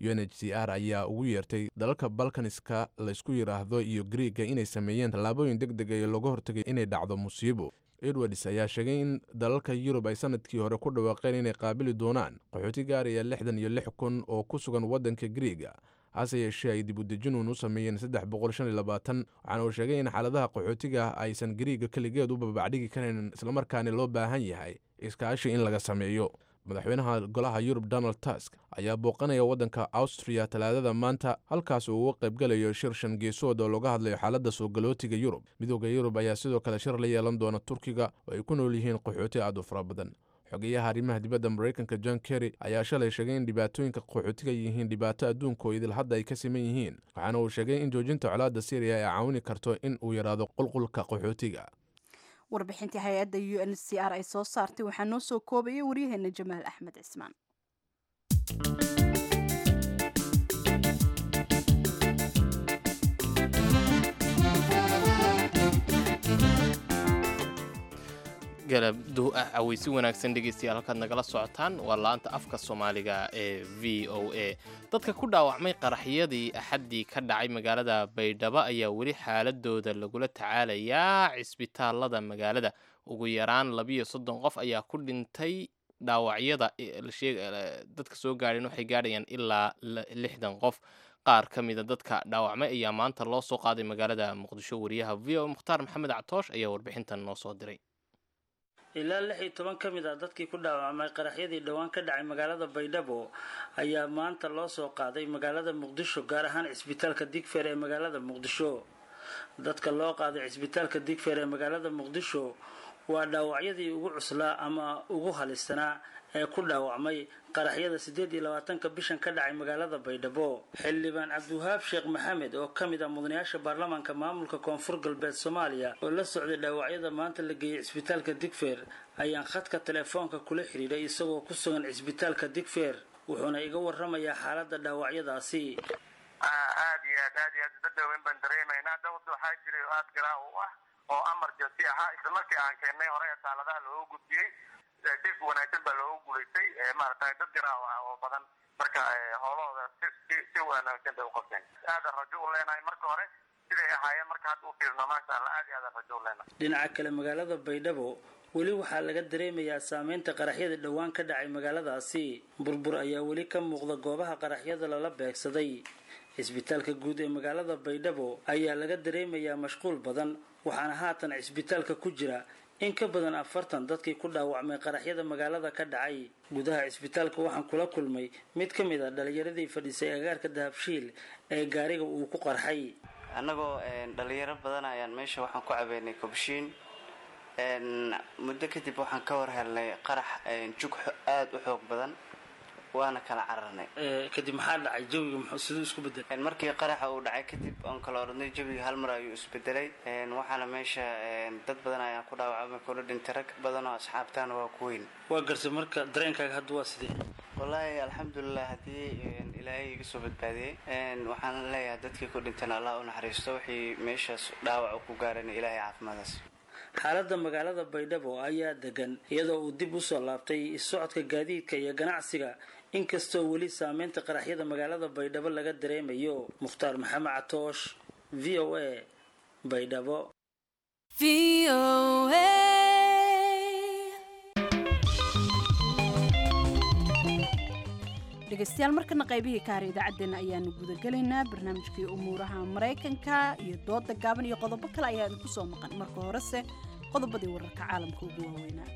U N H C R ayaa ugu yeertay dalalka Balkaniska laysku yidhaahdo iyo Griiga inay sameeyeen tallaabooyin deg deg ee looga hortagay inay dhacdo musiibo. Edwards ayaa sheegay in dalalka Yurub ay sanadkii hore ku dhawaaqeen inay qaabili doonaan qaxooti gaaraya lixdan iyo lix kun oo ku sugan waddanka Griiga, hase yeeshee ay dib u dejinuun u sameeyeen saddex boqol shan iyo labaatan. Waxaana uu sheegay in xaaladaha qaxootiga aysan Griiga keligeed u babacdhigi karin, islamarkaana loo baahan yahay iskaashi in laga sameeyo. Madaxweynaha golaha Yurub Donald Tusk ayaa booqanaya waddanka Austria Talaadada maanta, halkaas uu uga qaybgalayo shir shan geesood oo looga hadlayo xaaladda soo galootiga Yurub. Midooda Yurub ayaa sidoo kale shir la yeelan doona Turkiga oo ay ku nool yihiin qaxooti aad u fara badan. Xogeyaha arrimaha dibadda Maraykanka John Kerry ayaa shalay sheegay in dhibaatooyinka qaxootiga yihiin dhibaato adduunka oo idil hadda ay ka siman yihiin, waxaana uu sheegay in joojinta colaadda Syriya ay caawini karto in uu yaraado qulqulka qaxootiga. Warbixintii hay-adda U N C R ay soo saartay waxaa noo soo koobayay waryaheena Jamaal Axmed Cismaan. Galabdu ah aweysi wanaagsan dhegeystayaal, halkaad nagala socotaan waa laanta afka Soomaaliga ee V O A. Dadka ku dhaawacmay qaraxyadii Axaddii ka dhacay magaalada Baydhabo ayaa weli xaaladooda lagula tacaalayaa cisbitaalada magaalada. Ugu yaraan labiyo soddon qof ayaa ku dhintay dhaawacyada dadka soo gaadheen, waxay gaadhayaan ilaa lixdan qof. Qaar ka mida dadka dhaawacmay ayaa maanta loo soo qaaday magaalada Muqdisho. Wariyaha V O Mukhtaar Maxamed Catoosh ayaa warbixintan noo soo diray. Ilaa lix iyo toban ka mid ah dadkii ku dhaawacmay qaraxyadii dhowaan ka dhacay magaalada Baydhabo ayaa maanta loo soo qaaday magaalada Muqdisho, gaar ahaan cisbitaalka Digfeer ee magaalada Muqdisho. Dadka loo qaaday cisbitaalka Digfeer ee magaalada Muqdisho waa dhaawacyadii ugu cuslaa ama ugu halisanaa ee ku dhaawacmay qaraxyada siddeed iyo labaatanka bishan ka dhacay magaalada Baydhabo. Xildhibaan Cabdiwahaab Sheekh Maxamed oo ka mid ah mudanayaasha baarlamaanka maamulka Koonfur Galbeed Soomaaliya oo la socday dhaawacyada maanta la geeyey cisbitaalka Digfeer ayaan khadka telefoonka kula xiriiray isagoo ku sugan cisbitaalka Digfeer, wuxuuna iga warramayaa xaaladda dhaawacyadaasi. Aad iyo aad aad iyo aad isbedel baan dareemaynaa. Dawladda waxaa jiray oo aad garaa u ah oo amar joogti ahaa, isla markii aan keennay hore ee taaladaha looga gudbiyey si wanaagsan baa looga guulaystay, maaragtay dad garaaw ah oo badan marka howlahooda si si si wanaagsan bay u qabteen. Aadan rajo u leenahay marka hore siday ahaayeen, marka hadda u fiirno maasha Allah, aad iyo aadan rajo u leenahay. Dhinaca kale, magaalada Baydhabo weli waxaa laga dareemayaa saameynta qaraxyada dhowaan ka dhacay magaaladaasi. Burbur ayaa weli ka muuqda goobaha qaraxyada lala beegsaday. Cisbitaalka guud ee magaalada Baydhabo ayaa laga dareemayaa mashquul badan, waxaana haatan cisbitaalka ku jira In ka badan afartan dadkii ku dhaawacmay qaraxyada magaalada ka dhacay. Gudaha cisbitaalka waxaan kula kulmay mid ka mid a dhalinyaradii fadhiisay agaarka Dahabshiil ee gaariga uu ku qarxay. Annagoo dhalinyaro badan ayaan meesha waxaan ku cabeynay kobshiin. Muddo kadib waxaan ka war helnay qarax jug aada u xoog badan, waana kala cararnay. Kadib maxaa dhacay? Jawiga muxuu siduu isku bedelay? Markii qaraxa uu dhacay kadib oon kala oranay, jawiga hal mar ayuu isbedelay. Waxaana meesha dad badan ayaan ku dhaawacmay, kuna dhintay rag badan oo asxaabtaana waa ku weyn. Waa gartay. Marka dareenkaaga hadda waa sidee? Wallaahi alxamdulilah, haddii Ilaahay iga soo badbaadiyey. Waxaan leeyahay dadkii ku dhintana Allah u naxariisto, wixii meeshaas dhaawac ku gaarana Ilaahay caafimaadaas. Xaaladda magaalada Baydhabo ayaa degan, iyadoo uu dib usoo laabtay socodka gaadiidka iyo ganacsiga, inkastoo weli saameynta qaraxyada magaalada Baydhabo laga dareemayo. Mukhtaar Maxamed Catoosh, V O A, Baydhabo. Dhegeystayaal, markana qaybihii ka har idaacaddeenna ayaanu gudagelaynaa. Barnaamijkii umuuraha Maraykanka iyo dooda gaaban iyo qodobo kale ayaa idinku soo maqan. Marka horese qodobadii wararka caalamka ugu waaweynaa.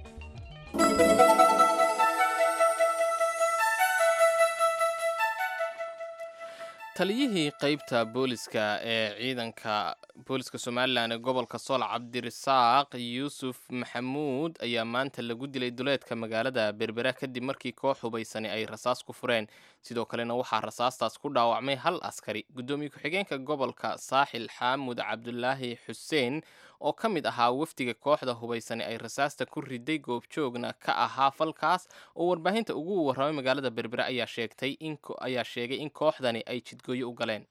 Taliyihii qeybta booliska ee ciidanka booliska Somalilan ee gobolka Sool, Cabdirasaaq Yuusuf Maxamuud, ayaa maanta lagu dilay duleedka magaalada Berbera kadib markii koox hubaysani ay rasaas ku fureen. Sidoo kalena waxaa rasaastaas ku dhaawacmay hal askari. Guddoomiye ku-xigeenka gobolka Saaxil, Xaamud Cabdulaahi Xuseen, oo ka mid ahaa wafdiga kooxda hubaysani ay rasaasta ku riday, goobjoogna ka ahaa falkaas, oo warbaahinta ugu warramay magaalada Berbera, ayaa sheegtay in ayaa sheegay in kooxdani ay jidgooyo u galeen.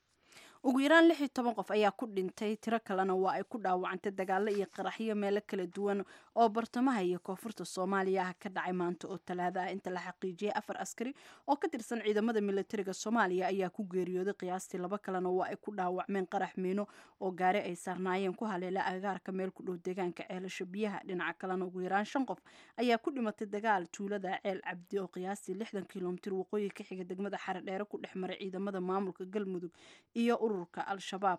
Ugu yaraan lix iyo toban qof ayaa ku dhintay, tiro kalena waa ay ku dhaawacantay dagaallo iyo qaraxyo meelo kala duwan oo bartamaha iyo koonfurta Soomaaliya ah ka dhacay maanta oo Talaada ah. Inta la xaqiijiyay, afar askari oo ka tirsan ciidamada militariga Soomaaliya ayaa ku geeriyooday, qiyaastii laba kalena waa ay ku dhaawacmeen qarax miino oo gaari ay saarnaayeen ku haleela agagaarka meel ku dhow deegaanka Ceelasha Biyaha. Dhinaca kalena, ugu yaraan shan qof ayaa ku dhimatay dagaal tuulada Ceel Cabdi oo qiyaastii lixdan kilomitir waqooyi ka xiga degmada Xaradheere ku dhex maray ciidamada maamulka Galmudug iyo ururka Al-Shabaab.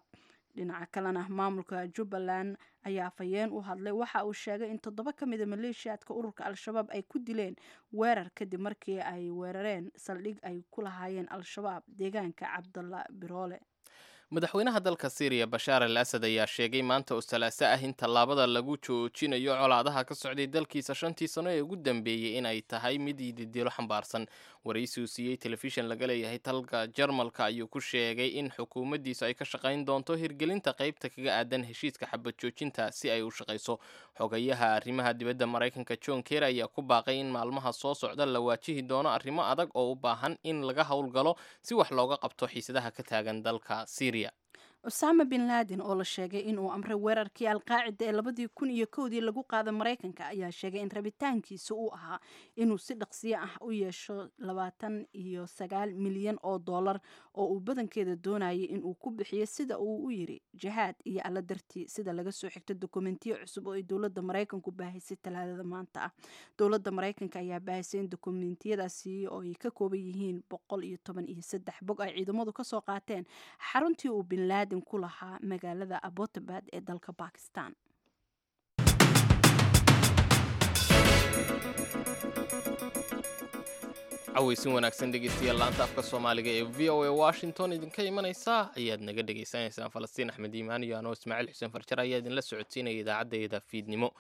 Dhinaca kalena, maamulka Jubbaland ayaa afhayeen u hadlay waxa uu sheegay in toddoba ka mida maleeshiyaadka ururka Al-Shabaab ay ku dileen weerar kadib markii ay weerareen saldhig ay ku lahaayeen Al-Shabaab deegaanka Cabdalla Biroole. Madaxweynaha dalka Syriya, Bashaar al Asad, ayaa sheegay maanta oo Salaaso ah in tallaabada lagu joojinayo colaadaha ka socday dalkiisa shantii sano ee ugu dambeeyey in ay tahay mid yididiilo xambaarsan. Waraysi uu siiyey telefishin laga leeyahay dalka Jarmalka ayuu ku sheegay in xukuumaddiisu ay ka shaqayn doonto hirgelinta qaybta kaga aadan heshiiska xabad joojinta si ay u shaqayso. Xogayaha arrimaha dibadda Maraykanka, John Kerry, ayaa ku baaqay in maalmaha soo socda la waajihi doono arrimo adag oo u baahan in laga howlgalo si wax looga qabto xiisadaha ka taagan dalka Syriya. Osama bin Laden, oo la sheegay inuu amray weerarkii Alqaacida ee labadii kun iyo kowdii lagu qaaday Maraykanka, ayaa sheegay in rabitaankiisa uu ahaa inuu si dhaqsiyo ah u yeesho labaatan iyo sagaal milyan oo dollar oo uu badankeeda doonayay inuu ku bixiyo, sida uu u yiri, jihaad iyo Alla dartii, sida laga soo xigto dokumentiyo cusub oo ay dowladda Maraykanku baahisay Talaadada maanta ah. Dowladda Maraykanka ayaa baahisay in dokumentiyadaasi oo ay ka kooban yihiin boqol iyo toban iyo saddex bog ay ciidamadu kasoo qaateen xaruntii uu bin Laden ku lahaa magaalada Abbottabad ee dalka Bakistan. Cawaysin wanaagsan dhegeystayaal. Laanta afka Soomaaliga ee V O A Washington idinka imanaysa ayaad naga dhegaysanaysaan. Falastiin Axmed Iimaan iyo anoo Ismaaciil Xuseen Farjar ayaa idinla socodsiinaya idaacaddeeda fiidnimo.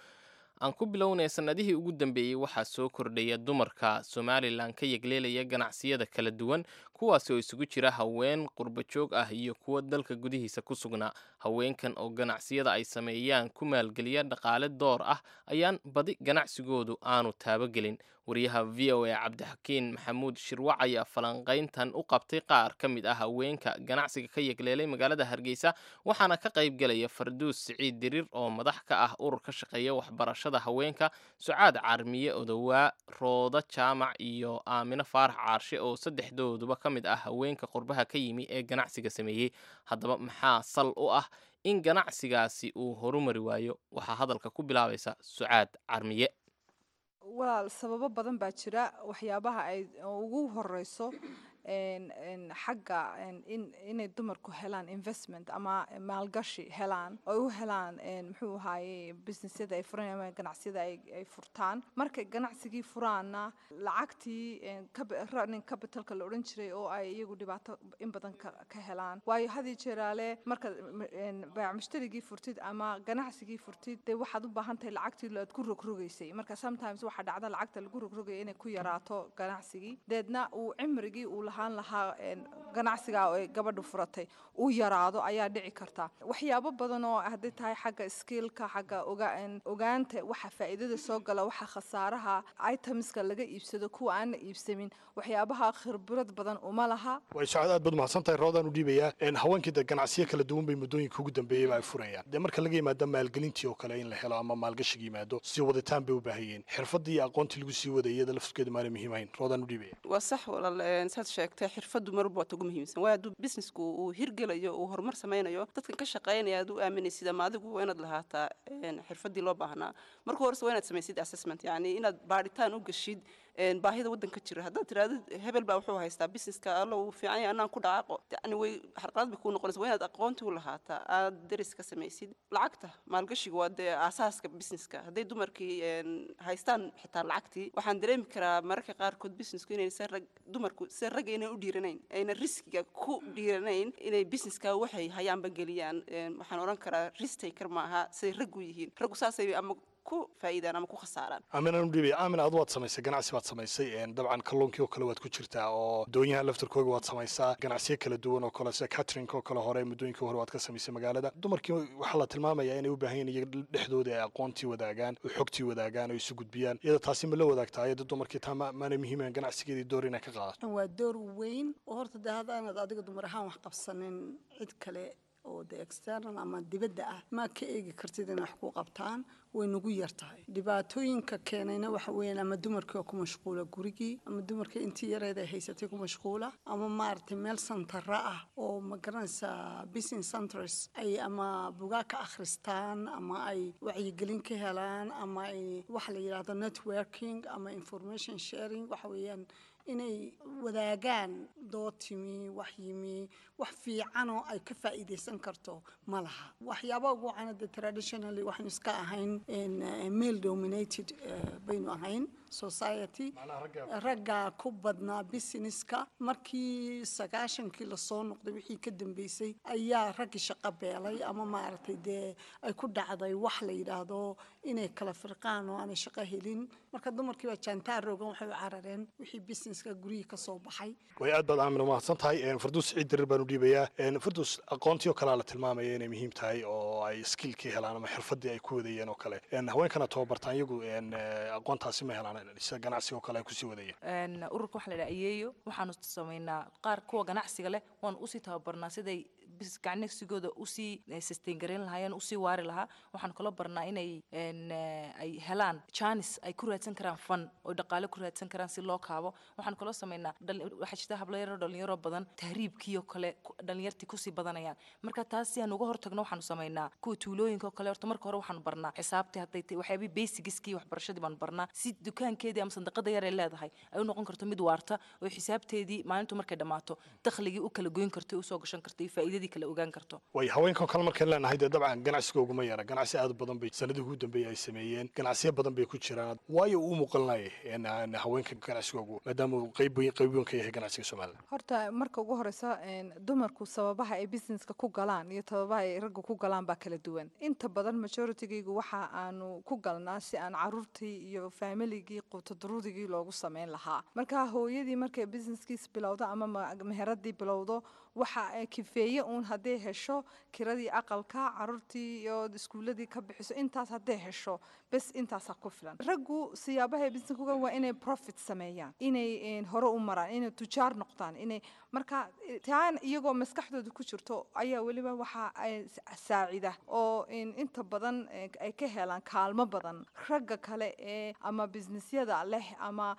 Aan ku bilownay, sanadihii ugu dambeeyey waxaa soo kordhaya dumarka Somalilan ka yegleelaya ganacsiyada kala duwan, kuwaasi oo isugu jira haween qurbajoog ah iyo kuwo dalka gudihiisa ku sugnaa. Haweenkan oo ganacsiyada ay sameeyaan ku maalgeliya dhaqaale door ah ayaan badi ganacsigoodu aanu taabagelin. Wariyaha V O A, Cabdixakiin Maxamuud Shirwac, ayaa falanqayntan u qabtay qaar ka mid ah haweenka ganacsiga ka yegleelay magaalada Hargeysa, waxaana ka qayb gelaya Farduus Siciid Diriir oo madax ka ah urur ka shaqeeya waxbarashada haweenka, Sucaad Carmiye Odowaa, Rooda Jaamac iyo Aamino Faarax Caarshe, oo saddexdooduba ka mid ah haweenka qurbaha ka yimi ee ganacsiga sameeyey. Haddaba maxaa sal u ah in ganacsigaasi uu horumari waayo? Waxaa hadalka ku bilaabaysa Sucaad Carmiye. Walaal, sababo badan baa jira. Waxyaabaha ay ugu horeyso Xagga inay dumarku helaan investment ama maalgashi helaan oo u helaan, muxuu ahaaye, businessyada ay furan ama ganacsiyada ay furtaan. Markay ganacsigii furaanna, lacagtii running capitalka la odhan jiray oo ay iyagu dhibaato in badan ka helaan, waayo had iyo jeeraale markaad baac mushtarigii furtid ama ganacsigii furtid, dee waxaad u baahan tahay lacagtii aad ku rogrogaysay. Marka sometimes waxaa dhacda lacagta lagu rogrogaya inay ku yaraato ganacsigii, deedna uu cimrigii uu lahaan lahaa ganacsiga ay gabadhu furatay uu yaraado ayaa dhici karta. Waxyaabo badan oo hadday tahay xagga skillka, xagga ogaanta waxa faa'iidada soo gala, waxa khasaaraha, itemska laga iibsado, kuwa aan la iibsamin, waxyaabaha khibrad badan uma laha. Way socod, aad baad mahadsan tahay. Roodaan u dhiibayaa. Haweenkii de ganacsiyo kala duwan bay muddooyinka ugu dambeeyey ay furayaan. Dee marka laga yimaado maalgelintii oo kale in la helo ama maalgashiga yimaado, sii waditaan bay u baahan yihiin. Xirfaddii iyo aqoontii lagu sii waday iyada laftirkeedu maana muhiim ahayn? Roodaan u dhiibaya. Waa sax walaal, saad sheegtay, xirfaddu marwalba waa ta ugu muhiimsan, waayo hadduu businessku uu hirgelayo, uu horumar sameynayo, dadkan ka shaqeynaya aad u aaminaysid ama adigu waa inaad lahaataa xirfaddii loo baahnaa. Marka horese waa inaad samaysid assessment, yacni inaad baadhitaan u gashid baahida waddanka jira. Haddaad tirahdid hebel baa wuxuu haystaa businesska, alla uu fiican yahay, anaan ku dhacaaqo, yacni way xarqalad bay kuu noqonaysa. Waa inaad aqoontii u lahaataa, aad deris ka samaysid. Lacagta maalgashiga waa dee aasaaska businesska. Hadday dumarkii haystaan xitaa lacagtii, waxaan dareemi karaa mararka qaarkood businessku inaysan rag dumarku sida ragga inay u dhiiranayn, ayna riskiga ku dhiiranayn inay businesska waxay hayaanba geliyaan. Waxaan odhan karaa risk taker maaha siday raggu yihiin. Raggu saasay ama ku faa'iidaan ama ku khasaaraan. Aaminaan u dhiibaya. Aamin, aad waad samaysay ganacsi baad samaysay, dabcan kalluunkii oo kale waad ku jirtaa oo doonyaha laftarkooga waad samaysaa, ganacsiyo kala duwan oo kale sida catering oo kale hore muddooyinkii hore waad ka samaysay magaalada. Dumarkii waxaa la tilmaamayaa inay u baahan yihin iyaga dhexdooda ay aqoontii wadaagaan oo xogtii wadaagaan oo isu gudbiyaan. Iyada taasi ma la wadaagtaa iyada dumarkii? Taa ma maanay muhiimahan ganacsigeedii door inay ka qaadato? Waa door weyn oo horta dee haddaanad adiga dumar ahaan wax qabsanin, cid kale oo de external ama dibadda ah ma ka eegi kartid inay wax ku qabtaan. Way nagu yar tahay. Dhibaatooyinka keenayna waxa weeyaan ama dumarkii oo ku mashquula gurigii, ama dumarkii intii yareed ay haysatay ku mashquula, ama maaragtay meel santara ah oo ma garanaysaa business centers ay ama bugaag ka akhristaan ama ay wacyigelin ka helaan ama ay waxa la yidhaahdo networking ama information sharing, waxa weeyaan inay wadaagaan dood timi, wax yimi, wax fiicanoo ay ka faa'iidaysan karto ma laha. Waxyaaba ugu wacan de traditionally waxaynu iska ahayn male dominated baynu ahayn society, raggaa ku badnaa businesska. Markii sagaashankii lasoo noqday wixii ka dambeysay ayaa raggii shaqo beelay ama maaragtay dee ay ku dhacday wax la yidhaahdo inay kala firqaan oo aanay shaqo helin. Marka dumarkii baa jaantaar rogan, waxay u carareen wixii businesska guryihii ka soo baxay. Way aad baad Aamin umahadsan tahay. Farduus Ciid Dirir baan u dhiibayaa. Farduus, aqoontii oo kalea la tilmaamaya inay muhiim tahay oo ay skillkii helaan ama xirfadii ay ku wadayeen oo kale. Haweenkana tababartaan iyagu aqoontaasi ma helaan sida ganacsiga oo kale ay kusii wadayeen? Ururka waxa la dhaha Ayeeyo waxaanu samaynaa qaar kuwa ganacsiga leh waanu usii tababarnaa siday ganacsigooda usii sustain gareyn lahaayeen, usii waari lahaa. Waxaanu kaloo barnaa inay ay helaan chance ay ku raadsan karaan fund oo dhaqaale ku raadsan karaan si loo kaabo. Waxaanu kaloo samaynaa, waxaa jirta hablo yaro dhalinyaro badan tahriibkii oo kale dhalinyartii kusii badanayaan. Marka taas si aan uga hortagno waxaanu samaynaa kuwa tuulooyinka oo kale, horta marka hore waxaanu barnaa xisaabtii, hadday tahay waxyaabihii basicskii waxbarashadii baanu barnaa, si dukaankeedii ama sandaqada yar ay leedahay ay u noqon karto mid waarta oo xisaabteedii maalintu markay dhammaato dakhligii u kala goyn karto, usoo gashan karto iyo faa'iidadii kala ogaan karto. Way haweenkan kale markaan leenahay dee dabcan ganacsiga uguma yara, ganacsi aad u badan bay sanadihii ugu dambeeyay ay sameeyeen, ganacsiyo badan bay ku jiraan. Waayo uu muuqanaya haweenka ganacsigoogu maadaama uu qayb weyn qayb weyn ka yahay ganacsiga Somaliland? Horta marka ugu horeysa, dumarku sababaha ay businesska ku galaan iyo sababaha ay ragga ku galaan baa kala duwan. Inta badan majoritygaygu waxa aanu ku galnaa si aan caruurtii iyo familigii quutadurudigii loogu sameyn lahaa. Marka hooyadii markay businesskiis bilowdo ama meheradii bilowdo, waxa ay kifeeye uun hadday hesho kiradii aqalka, caruurtii iyo iskuuladii ka bixiso, intaas hadday hesho bes, intaasaa ku filan. Raggu siyaabaha business ku galaan waa inay profit sameeyaan, inay hore u maraan, inay tujaar noqdaan, inay marka taan iyagoo maskaxdooda ku jirto ayaa weliba waxa ay saacida oo inta badan ay ka helaan kaalmo badan ragga kale ee ama businessyada leh, ama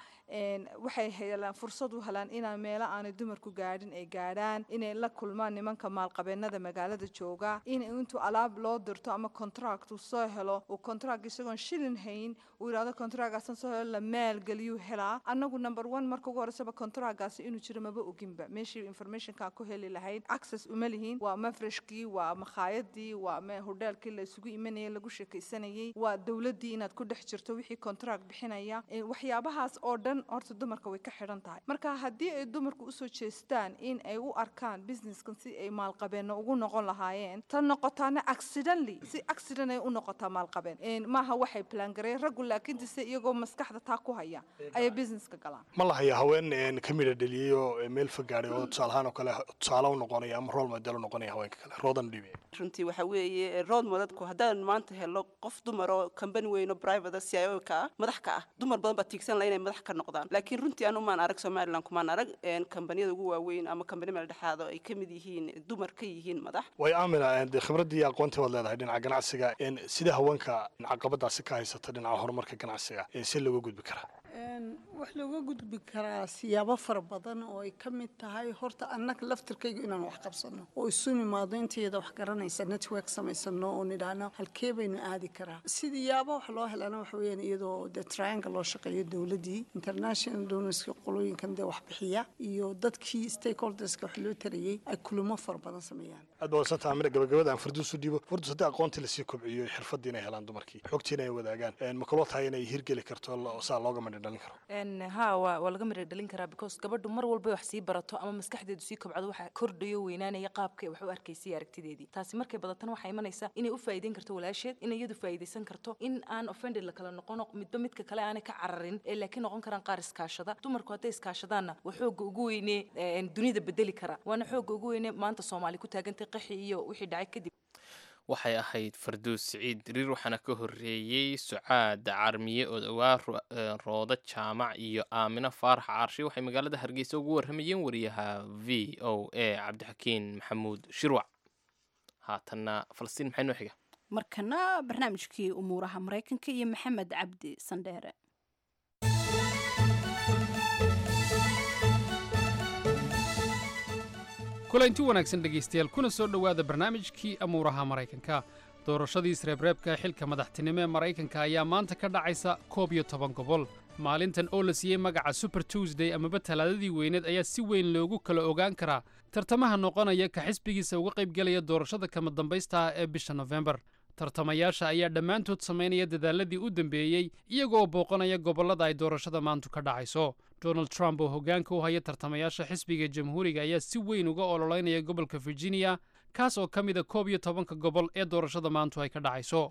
waxay helaan fursad u helaan inaa meelo aanay dumarku gaadhin ay gaadhaan, inay la kulmaan nimanka maalqabeenka. Maalqabeenada magaalada jooga in intuu alaab loo dirto ama contract uu soo helo, uu contract isagoon shilin hayn uu yidhahdo contractgaasan soo helo, la maalgeliyuu helaa. Annagu number one, marka ugu horeysaba contractgaasi inuu jiro maba oginba. Meeshii informationka ku heli lahayd access uma lihin. Waa mafreshkii, waa makhaayadii, waa me hodheelkii la isugu imanayay, lagu sheekaysanayay, waa dowladdii inaad ku dhex jirto wixii contract bixinaya. Waxyaabahaas oo dhan horta dumarka way ka xidhan tahay. Marka haddii ay dumarku usoo jeestaan in ay u arkaan businesskan si ay maalqabeenno ugu noqon lahaayeen, tan noqotaana accidentally, si accident ay u noqotaa maalqabeen maaha, waxay plan gareey raggu, laakiin se iyagoo maskaxda taa ku haya ayay businesska galaan. Ma la hayaa haween ka midha dheliyey oo meel fogaaday oo tusaalahaan oo kale tusaale u noqonaya ama role model u noqonaya haweenka kale? Roodan dhibi. Runtii waxa weeye role modelku, haddaan maanta helo qof dumar oo company weyn oo private C I O ka ah, madax ka ah, dumar badan baa tiigsan laha inay madax ka noqdaan. Laakiin runtii anu maan arag, Somaliland kumaan arag kambaniyada ugu waaweyn ama kambani meel dhexaad oo ay ka mid yihiin dumar ka yihiin madax. Way Aamina, dee khibraddii iyo aqoontii waad leedahay dhinaca ganacsiga. Sida haweenka caqabadaasi ka haysata dhinaca horumarka ganacsiga si looga gudbi karaa? Wax looga gudbi karaa siyaabo fara badan oo ay ka mid tahay horta annaga laftirkaygu inaan wax qabsano oo isu nimaado intayada wax garanaysa, network samaysano oo nidhaahno halkee baynu aadi karaa. Sidiyaabo wax loo helana waxa weeyaan iyadoo dee triangle loo shaqeeyo, dowladdii, international donorska, qolooyinkan dee wax bixiya iyo dadkii stakeholderska wax loo tarayay ay kulamo fara badan sameeyaan. Aad baa wasantaha Amina. Gabagabada aan Farduus u dhiibo. Fardus, haddii aqoontii lasii kobciyo, xirfaddii inay helaan dumarkii, xogtiina ay wadaagaan, ma kaloo tahay inay hirgeli karto saa looga midho dhalin karo? Ha, waa waa laga midho dhalin karaa, because gabadhu mar walba wax sii barato ama maskaxdeedu sii kobcdo, waxa kordhayo, weynaanaya qaabka wax u arkaysay aragtideedii. Taasi markay badatana waxaa imanaysa inay u faa'iideyn karto walaasheed, inay iyadu faa'iidaysan karto, in aan offended la kala noqono, midba midka kale aanay ka cararin ee laakiin noqon karaan qaar iskaashada. Dumarku hadday iskaashadaanna waa xoogga ugu weyne dunida bedeli kara, waana xoogga ugu weyne maanta Soomaali ku taagantay qaxi iyo wixii dhacay kadib. Waxay ahayd Farduus Siciid Diriir, waxaana ka horreeyey Sucaad Carmiye oo dhowaa Roodo Jaamac iyo Aamino Faarax Caarshi. Waxay magaalada Hargeysa ugu warramayeen wariyaha V O A Cabdixakiin Maxamuud Shirwac. Haatanna Falastiin, maxay noo xiga? Markana barnaamijkii umuuraha Maraykanka iyo Maxamed Cabdi Sandheere. Kulanti wanaagsan dhegaystayaal, kuna soo dhowaada barnaamijkii amuuraha Maraykanka. Doorashadii isreebreebka xilka madaxtinimo ee Maraykanka ayaa maanta ka dhacaysa koob iyo toban gobol. Maalintan oo la siiyey magaca Super Tuesday amaba Talaadadii weyneed ayaa si weyn loogu kala ogaan karaa tartamaha noqonaya ka xisbigiisa uga qaybgelaya doorashada kama dambaysta ah ee bisha Nofembar. Tartamayaasha ayaa dhammaantood samaynaya dadaaladii u dambeeyey, iyagoo booqanaya gobollada ay doorashada maantu ka dhacayso. Donald Trump oo hoggaanka u haya tartamayaasha xisbiga Jamhuuriga ayaa si weyn uga ololeynaya gobolka Virginia, kaas oo ka mida koob iyo tobanka gobol ee doorashada maantu ay ka dhacayso.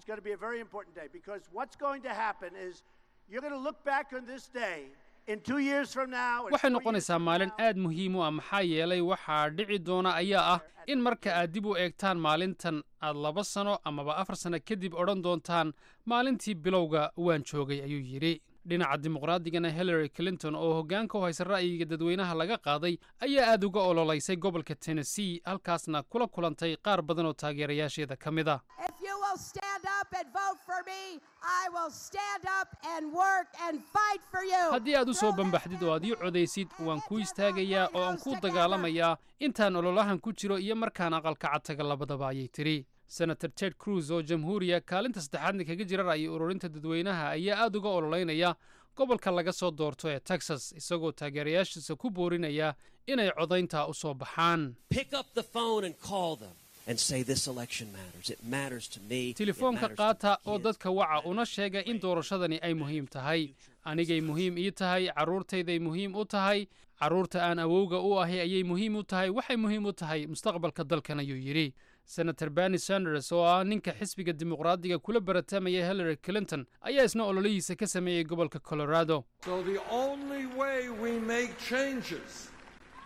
Waxay noqonaysaa maalin aad muhiim u ah, maxaa yeelay waxaa dhici doona ayaa ah in marka aad dib u eegtaan maalintan aad laba sano amaba afar sano kadib odhan doontaan, "Maalintii bilowga waan joogay," ayuu yidhi. Dhinaca Dimuqraadigana, Hillary Clinton oo hoggaanka u haysa ra'yiga dadweynaha laga qaaday ayaa aad uga ololeysay gobolka Tennessee, halkaasna kula kulantay qaar badan oo taageerayaasheeda ka mid ah. If you will stand up and vote for me, I will stand up and work and fight for you. Haddii aad u soo bambaxdid oo aad ii codaysid, waan ku istaagayaa oo aan ku dagaalamayaa intaan ololahan ku jiro iyo markaan aqalka cad taga labadaba, ayay tidhi. Senator Ted Cruz oo Jamhuuriya, kaalinta saddexaadna kaga jira ra'yi ururinta dadweynaha, ayaa aad uga ololeynaya gobolka laga soo doorto ee Texas, isagoo taageerayaashiisa ku boorinaya inay codaynta u soo baxaan. Pick up the phone and call them and say this election matters. It matters to me. It Telefoonka matters to qaata oo dadka waca, una sheega in doorashadani ay muhiim tahay. Anigay muhiim ii tahay, carruurtayday muhiim u tahay, carruurta aan awowga u ahi ayay muhiim u tahay, waxay muhiim u tahay mustaqbalka dalkan, ayuu yidhi. Senator Bernie Sanders oo ah ninka xisbiga Dimuqraadiga kula baratamaya Hillary Clinton ayaa isna ololihiisa ka sameeyey gobolka Colorado. So the only way we make changes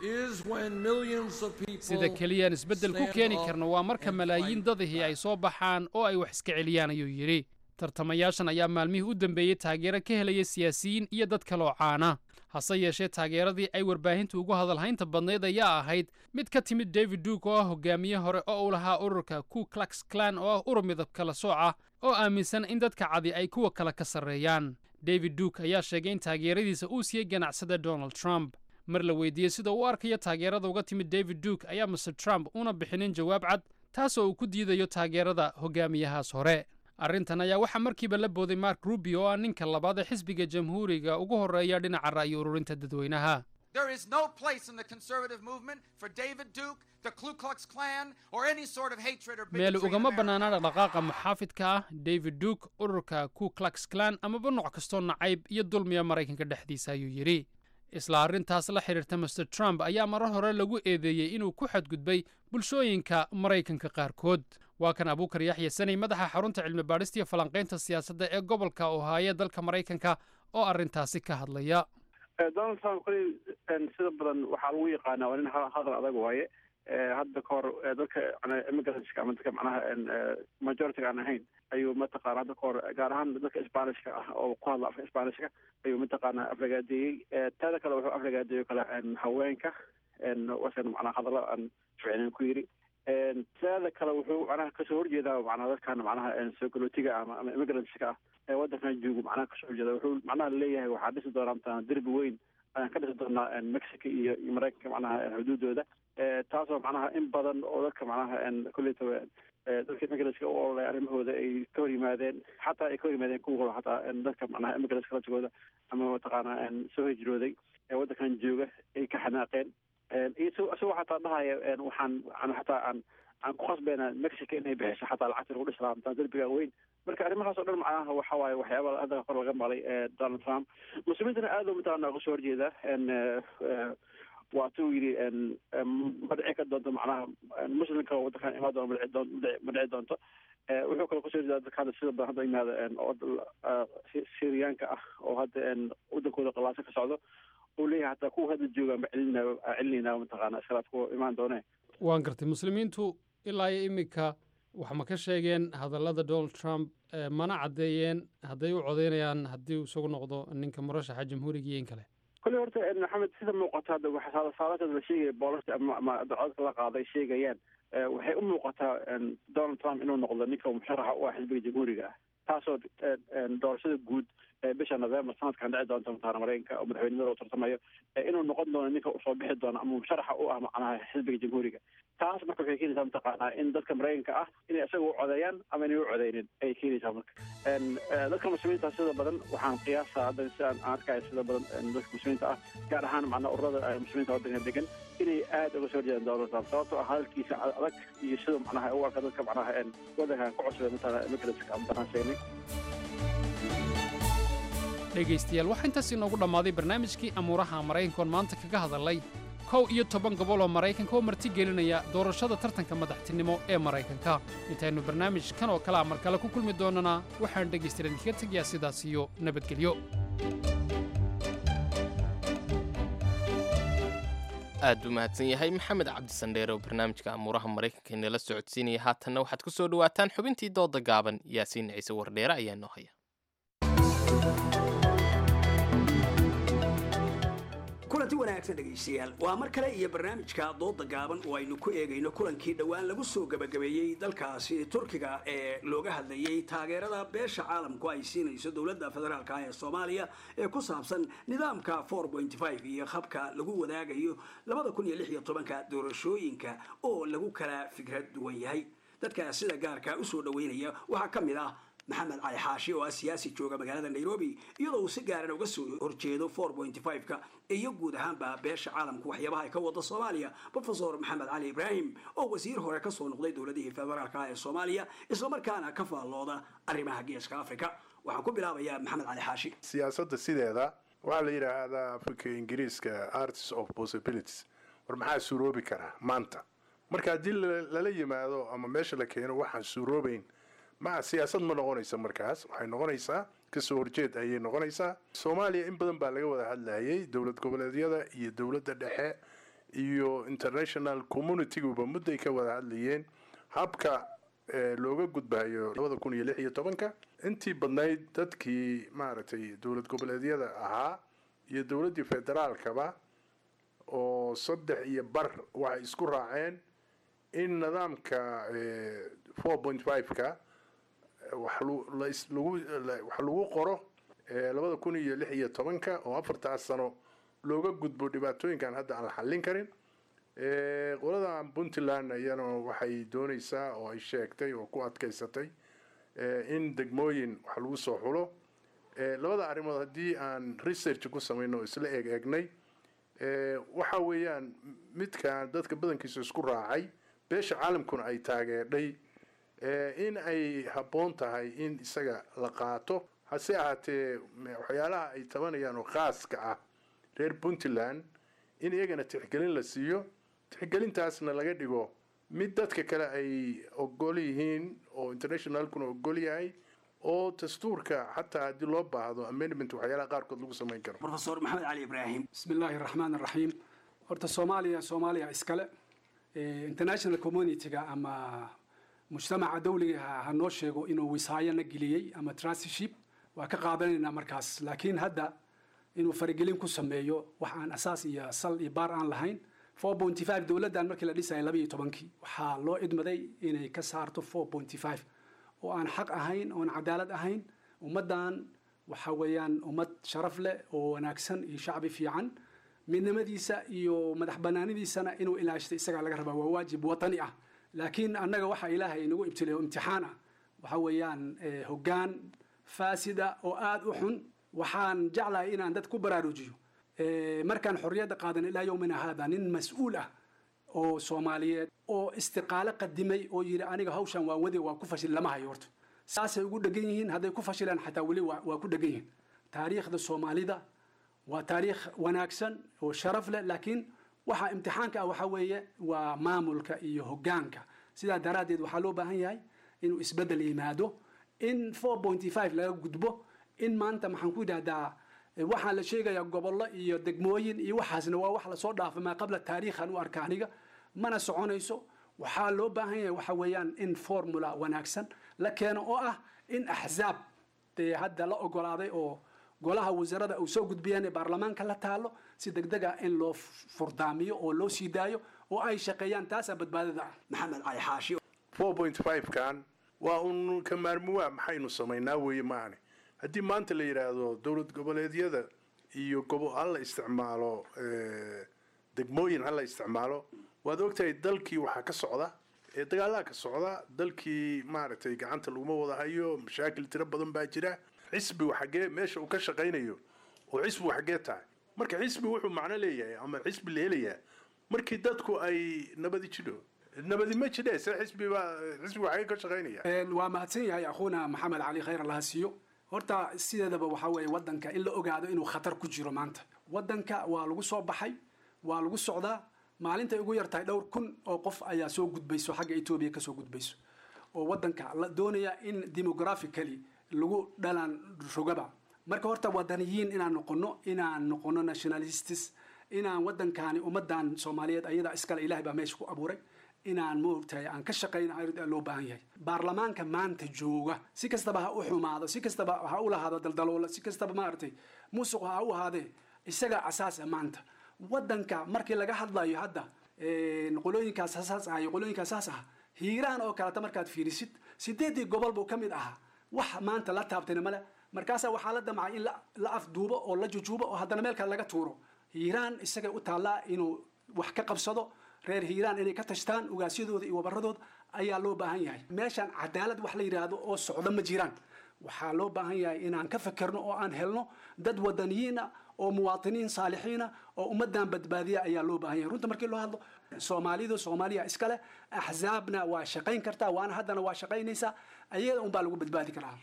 is when millions of people Sida keliyaan isbeddel ku stand keeni up karno waa marka and malaayiin fight. dadihii ay soo baxaan oo ay wax iska celiyaan, ayuu yidhi. Tartamayaashan ayaa maalmihii u dambeeyey taageero ka helaya siyaasiyiin iyo dad kaloo caana. Hase yeeshee, taageeradii ay warbaahintu ugu hadalhaynta badnayd ayaa ahayd mid ka timid David Duke oo ah hogaamiye hore oo uu lahaa ururka Ku Klux Klan, oo ah urur midab kala sooc ah oo aaminsan in dadka cadi ay kuwa kale ka sarreeyaan. David Duke ayaa sheegay in taageeradiisa uu siiyey ganacsada Donald Trump. Mar la weydiiyey sida uu u arkayo taageerada uga timid David Duke, ayaa Mister Trump una bixinin jawaab cad, taasoo uu ku diidayo taageerada hogaamiyahaas hore. Arrintan ayaa waxaa markiiba la booday Mark Rubio, oo ah ninka labaad ee xisbiga Jamhuuriga ugu horreeya dhinaca ra'yi ururinta dadweynaha. There is no place in the conservative movement for David Duke, the Ku Klux Klan, or any sort of hatred or Meel bigotry. Ugama bannaana dhaqdhaqaaqa muxaafidka ah, David Duke, ururka Ku Klux Klan amaba nooc kastoo nacayb iyo dulmiya Maraykanka dhexdiisa, ayuu yidhi. Isla arrintaas la xidhiirta, Mister Trump ayaa marar hore lagu eedeeyey inuu ku xadgudbay bulshooyinka Maraykanka qaarkood. Waa kan Abuukar Yaxya Saney, madaxa xarunta cilmi baadhista iyo falanqaynta siyaasadda ee gobolka Ohio dalka Maraykanka, oo arrintaasi ka hadlaya. Donald Trump koley sida badan waxaa lagu yaqaanaa waa nin hadal adag waaye. Hadda ka hor dadka immigrantska ama dadka macnaha majority-ga aan ahayn ayuu mataqaana hadda ka hor, gaar ahaan dadka Spanishka ah oo ku hadla afka Spanishka, ayuu mataqaana aflagaadeeyey. Taada kale, wuxuu aflagaadeeyo kale haweenka, wasan macnaha hadallo aan ficnin ku yiri. Taada kale, wuxuu macnaha kasoo horjeedaa macnaha dadkan macnaha soo galootiga ama ama immigrantska ah ee waddankan joogo macnaha kasoo horjeeda. Wuxuu macnaha leeyahay waxaa dhisi doonaa mataqaana derbi weyn ayaan ka dhisi doonaa Mexico iyo iyo Maraykanka macnaha xuduudooda, taasoo macnaha in badan oo dadka macnaha kolleytaba dadka immigrantska u ololaya arrimahooda ay ka hor yimaadeen, xataa ay ka hor yimaadeen kuwa hore, xataa dadka macnaha immigrantska laftigooda ama mataqaana soo hijrooday ee waddankan jooga ay ka xanaaqeen. Iyo isagoo xataa dhahaya waxaan aan xataa aan aan ku khasbayna Mexico inay bixiso xataa lacagta lagu dhisi lahaa mataa derbiga weyn. Marka arrimahaas oo dhan macnaha waxa waaye waxyaaba hadda kor laga maqlay Donald Trump. Muslimiintana aad u mataqaana uga soo horjeeda. Waa tuu yidhi ma dhici ka doonto macnaha muslimka waddankan imaan doona, ma dhici doon ma dhici doonto. Wuxuu kaloo kasoo horjeeda dadka hadda sida badan hadda yimaada oo Syriyaanka ah oo hadda waddankooda qalaaso ka socdo, uu leeyahay hataa kuwa hadda jooga ma celinaa celinayna mataqaana iskalaaf kuwa imaan doone. Waan gartay. Muslimiintu ilaa iyo iminka wax ma ka sheegeen hadallada Donald Trump, mana caddeeyeen hadday u codeynayaan haddii uu isagu noqdo ninka murashaxa Jamhuuriga iyo in kale? Kolley horta, Maxamed, sida muuqata hadda waxa saalasada la sheegaya boolasha ama ama codadka la qaaday sheegayaan, waxay u muuqataa Donald Trump inuu noqdo ninka musharaxa u ah xisbiga Jamhuuriga ah, taasoo doorashada guud bisha November sanadkan dhici doonta mataqaana Maraykanka oo madaxweynimada uu tartamayo inuu noqon doono ninka usoo bixi doono ama musharaxa u ah macnaha xisbiga Jamhuuriga. Taas marka waxay keenaysaa mataqaanaa in dadka Maraykanka ah inay isaga u codeeyaan ama inay u codeynin ayay keenaysaa. Marka dadka muslimiinta sida badan waxaan qiyaasaa hadda si aan arkayo, sida badan dadka muslimiinta ah, gaar ahaan macnaa ururada muslimiinta waddanka degan, inay aad uga soo horjeedaan Donald Trump, sababtoo ah hadalkiisa adag iyo sida macnaha u arka dadka macnaha waddankan ku cusubay mataqaana immigrantska ama banaan sheegnay. Dhegaystayaal, waxaa intaas inoogu dhammaaday barnaamijkii amuuraha Maraykanka oon maanta kaga hadalay kow iyo toban gobol oo Maraykanka oo marti gelinaya doorashada tartanka madaxtinimo ee Maraykanka. Intaynu barnaamijkan oo kalea mar kale ku kulmi doonana, waxaan dhegaystayaal idinkaga tegayaa sidaas iyo nabadgelyo. Aad buu mahadsan yahay Maxamed Cabdisandheer oo barnaamijka amuuraha Maraykanka inala socodsiinaya. Haatanna waxaad ku soo dhawaataan xubintii dooda gaaban. Yaasiin Ciise Wardheere ayaa noo haya. Kulanti wanaagsan dhegaystayaal, waa mar kale iyo barnaamijka dooda gaaban oo aynu ku eegayno kulankii dhowaan lagu soo gabagabeeyey dalkaasi Turkiga ee looga hadlayey taageerada beesha caalamku ay siinayso dowladda federaalka ee Soomaaliya ee ku saabsan nidaamka iyo habka lagu wadaagayo labada kun iyo lix iyo tobanka doorashooyinka oo lagu kala fikrad duwan yahay. Dadka sida gaarka usoo dhaweynaya waxaa ka mid ah Maxamed Cali Xaashi oo ah siyaasi jooga magaalada Nairobi, iyadoo uu si gaaran uga soo horjeedo ka iyo guud ahaanba beesha caalamku waxyaabaha ay ka wada Soomaaliya, Professor Maxamed Cali Ibraahim oo wasiir hore kasoo noqday dowladihii federaalka ee Soomaaliya, islamarkaana ka faallooda arrimaha Geeska Africa. Waxaan ku bilaabayaa Maxamed Cali Xaashi. Siyaasadda sideeda waxaa la yidhaahdaa Afrika Ingiriiska arts of possibilities. War maxaa suuroobi karaa maanta? Marka haddii lala yimaado ama meesha la keeno waxaan suuroobayn, ma siyaasad ma noqonaysa. Markaas waxay noqonaysaa kasoo horjeed ayay noqonaysaa. Soomaaliya in badan baa laga wada hadlayay, dowlad goboleedyada iyo dowladda dhexe iyo international community-guba mudday ka wada hadlayeen habka looga gudbayo labada kun iyo lix iyo tobanka. Intii badnayd dadkii maaragtay dowlad goboleedyada ahaa iyo dowladdii federaalkaba oo saddex iyo bar waxay isku raaceen in nidaamka four point five-ka wax lagu wax lagu qoro labada kun iyo lix iyo tobanka oo afartaas sano looga gudbo dhibaatooyinkan hadda aan la xallin karin. Qoladan Puntland iyana waxay doonaysaa oo ay sheegtay oo ku adkaysatay in degmooyin wax lagu soo xulo. Labada arrimood haddii aan research ku samayno oo isla eeg eegnay, waxa weeyaan midkan dadka badankiisa isku raacay, beesha caalamkuna ay taageerdhay in ay habboon tahay in isaga la qaato. Hase ahaatee waxyaalaha ay tabanayaan oo khaaska ah reer Puntland in iyagana tixgelin la siiyo, tixgelintaasna laga dhigo mid dadka kale ay ogol yihiin oo internationalkuna ogol yahay, oo dastuurka xataa haddii loo baahdo amendment waxyaalaha qaarkood lagu samayn karo. Professor Maxamed Cali Ibraahim. Bismi illaahi raxmaan raxiim. Horta Soomaaliya Soomaaliya iskale, international community-ga ama mujtamaca dawliga ha noo sheego inuu wisaayana geliyey ama trusteeship waa ka qaadanaynaa markaas, laakiin hadda inuu faragelin ku sameeyo wax aan asaas iyo sal iyo baar aan lahayn. Four point five dowladdan markii la dhisayay laba iyo tobankii waxaa loo idmaday inay ka saarto four point five oo aan xaq ahayn oon cadaalad ahayn. Ummaddan waxa weeyaan ummad sharaf leh oo wanaagsan iyo shacbi fiican, midnimadiisa iyo madax banaanidiisana inuu ilaashto isagaa laga rabaa, waa waajib watani ah. Laakiin annaga waxa Ilaahay inagu ibtileeyo imtixaan ah waxa weeyaan hoggaan faasida oo aada u xun. Waxaan jeclahay inaan dad ku baraarujiyo, markaan xorriyadda qaadan ilaa yowmina haada nin mas-uul ah oo Soomaaliyeed oo istiqaalo qadimay oo yidhi aniga hawshan waan wadi waa ku fashil lama hayo. Horta saasay ugu dhegan yihiin, hadday ku fashilaan xataa weli waa waa ku dhegan yihiin. Taariikhda Soomaalida waa taariikh wanaagsan oo sharaf leh, laakiin waxa imtixaanka ah waxa weeye waa maamulka iyo hoggaanka. Sidaa daraaddeed waxaa loo baahan yahay inuu isbeddel yimaado, in four point five laga gudbo, in maanta maxaan ku yidhahdaa waxaa la sheegayaa gobollo iyo degmooyin iyo waxaasna waa wax lasoo dhaafay maa qabla taariikhan u arka aniga, mana soconayso. Waxaa loo baahan yahay waxa weeyaan in formula wanaagsan la keeno oo ah in axzaab dee hadda la ogolaaday oo golaha wasaaradda uu soo gudbiyaan ee baarlamaanka la taalo si degdeg ah in loo furdaamiyo oo loo sii daayo oo ay shaqeeyaan, taasaa badbaadada ah. Maxamed Cali Xaashi. Four point five kan waa un ka maarmuwaa maxaynu samaynaa weeye maahane. Haddii maanta la yidhaahdo dowlad goboleedyada iyo gobo ha la isticmaalo, degmooyin ha la isticmaalo, waad ogtahay dalkii waxaa ka socda ee dagaalaha ka socda dalkii, maaragtay, gacanta laguma wada hayo, mashaakil tiro badan baa jira. Xisbigu xaggee meesha uu ka shaqaynayo oo xisbigu xaggee tahay? Marka xisbi wuxuu macno leeyahay ama xisbi la helayaa markii dadku ay nabadi jidho. Nabadi ma jidhe, se xisbi baa xisbigu xaggee ka shaqaynaya? Waa mahadsan yahay akhuuna Maxamed Cali, khayr Allaha siiyo. Horta sideedaba waxaa weeye waddanka in la ogaado inuu khatar ku jiro. Maanta waddanka waa lagu soo baxay, waa lagu socdaa. Maalintay ugu yartahay dhowr kun oo qof ayaa soo gudbayso xagga Etoobiya kasoo gudbayso oo waddanka la doonaya in demographically lagu dhalaan rogaba. Marka horta wadaniyiin inaan noqono, inaan noqono nationalists, inaan waddankaani ummadan Soomaaliyeed ayadaa iskale, Ilahay baa meesha ku abuuray, inaan maogtahay aan ka shaqayna loo baahan yahay. Baarlamaanka maanta jooga si kastaba ha u xumaado, si kastaba ha u lahaado daldaloola, si kastaba maaragtay musuq ha u ahaadee, isaga asaasa maanta waddanka. Markii laga hadlayo hadda qolooyinkaas saas ah iyo qolooyinkaas saas ah, Hiiraan oo kaleta markaad fiirisid sideedii gobol buu ka mid ahaa, wax maanta la taabtayna male. Markaasaa waxaa la damcay in la afduubo oo la jujuubo oo haddana meel kale laga tuuro. Hiiraan isagay u taallaa inuu wax ka qabsado. Reer Hiiraan inay ka tashtaan ugaasyadooda iyo wabaradooda ayaa loo baahan yahay. Meeshaan cadaalad wax la yidhaahdo oo socdo ma jiraan. Waxaa loo baahan yahay inaan ka fekerno oo aan helno dad wadaniyiina oo muwaatiniin saalixiina oo ummaddan badbaadiya ayaa loo baahan yahay. Runta markii loo hadlo, Soomaalidu Soomaaliya iskale, axzaabna waa shaqayn kartaa, waana haddana waa shaqaynaysaa, ayada unbaa lagu badbaadi karaa.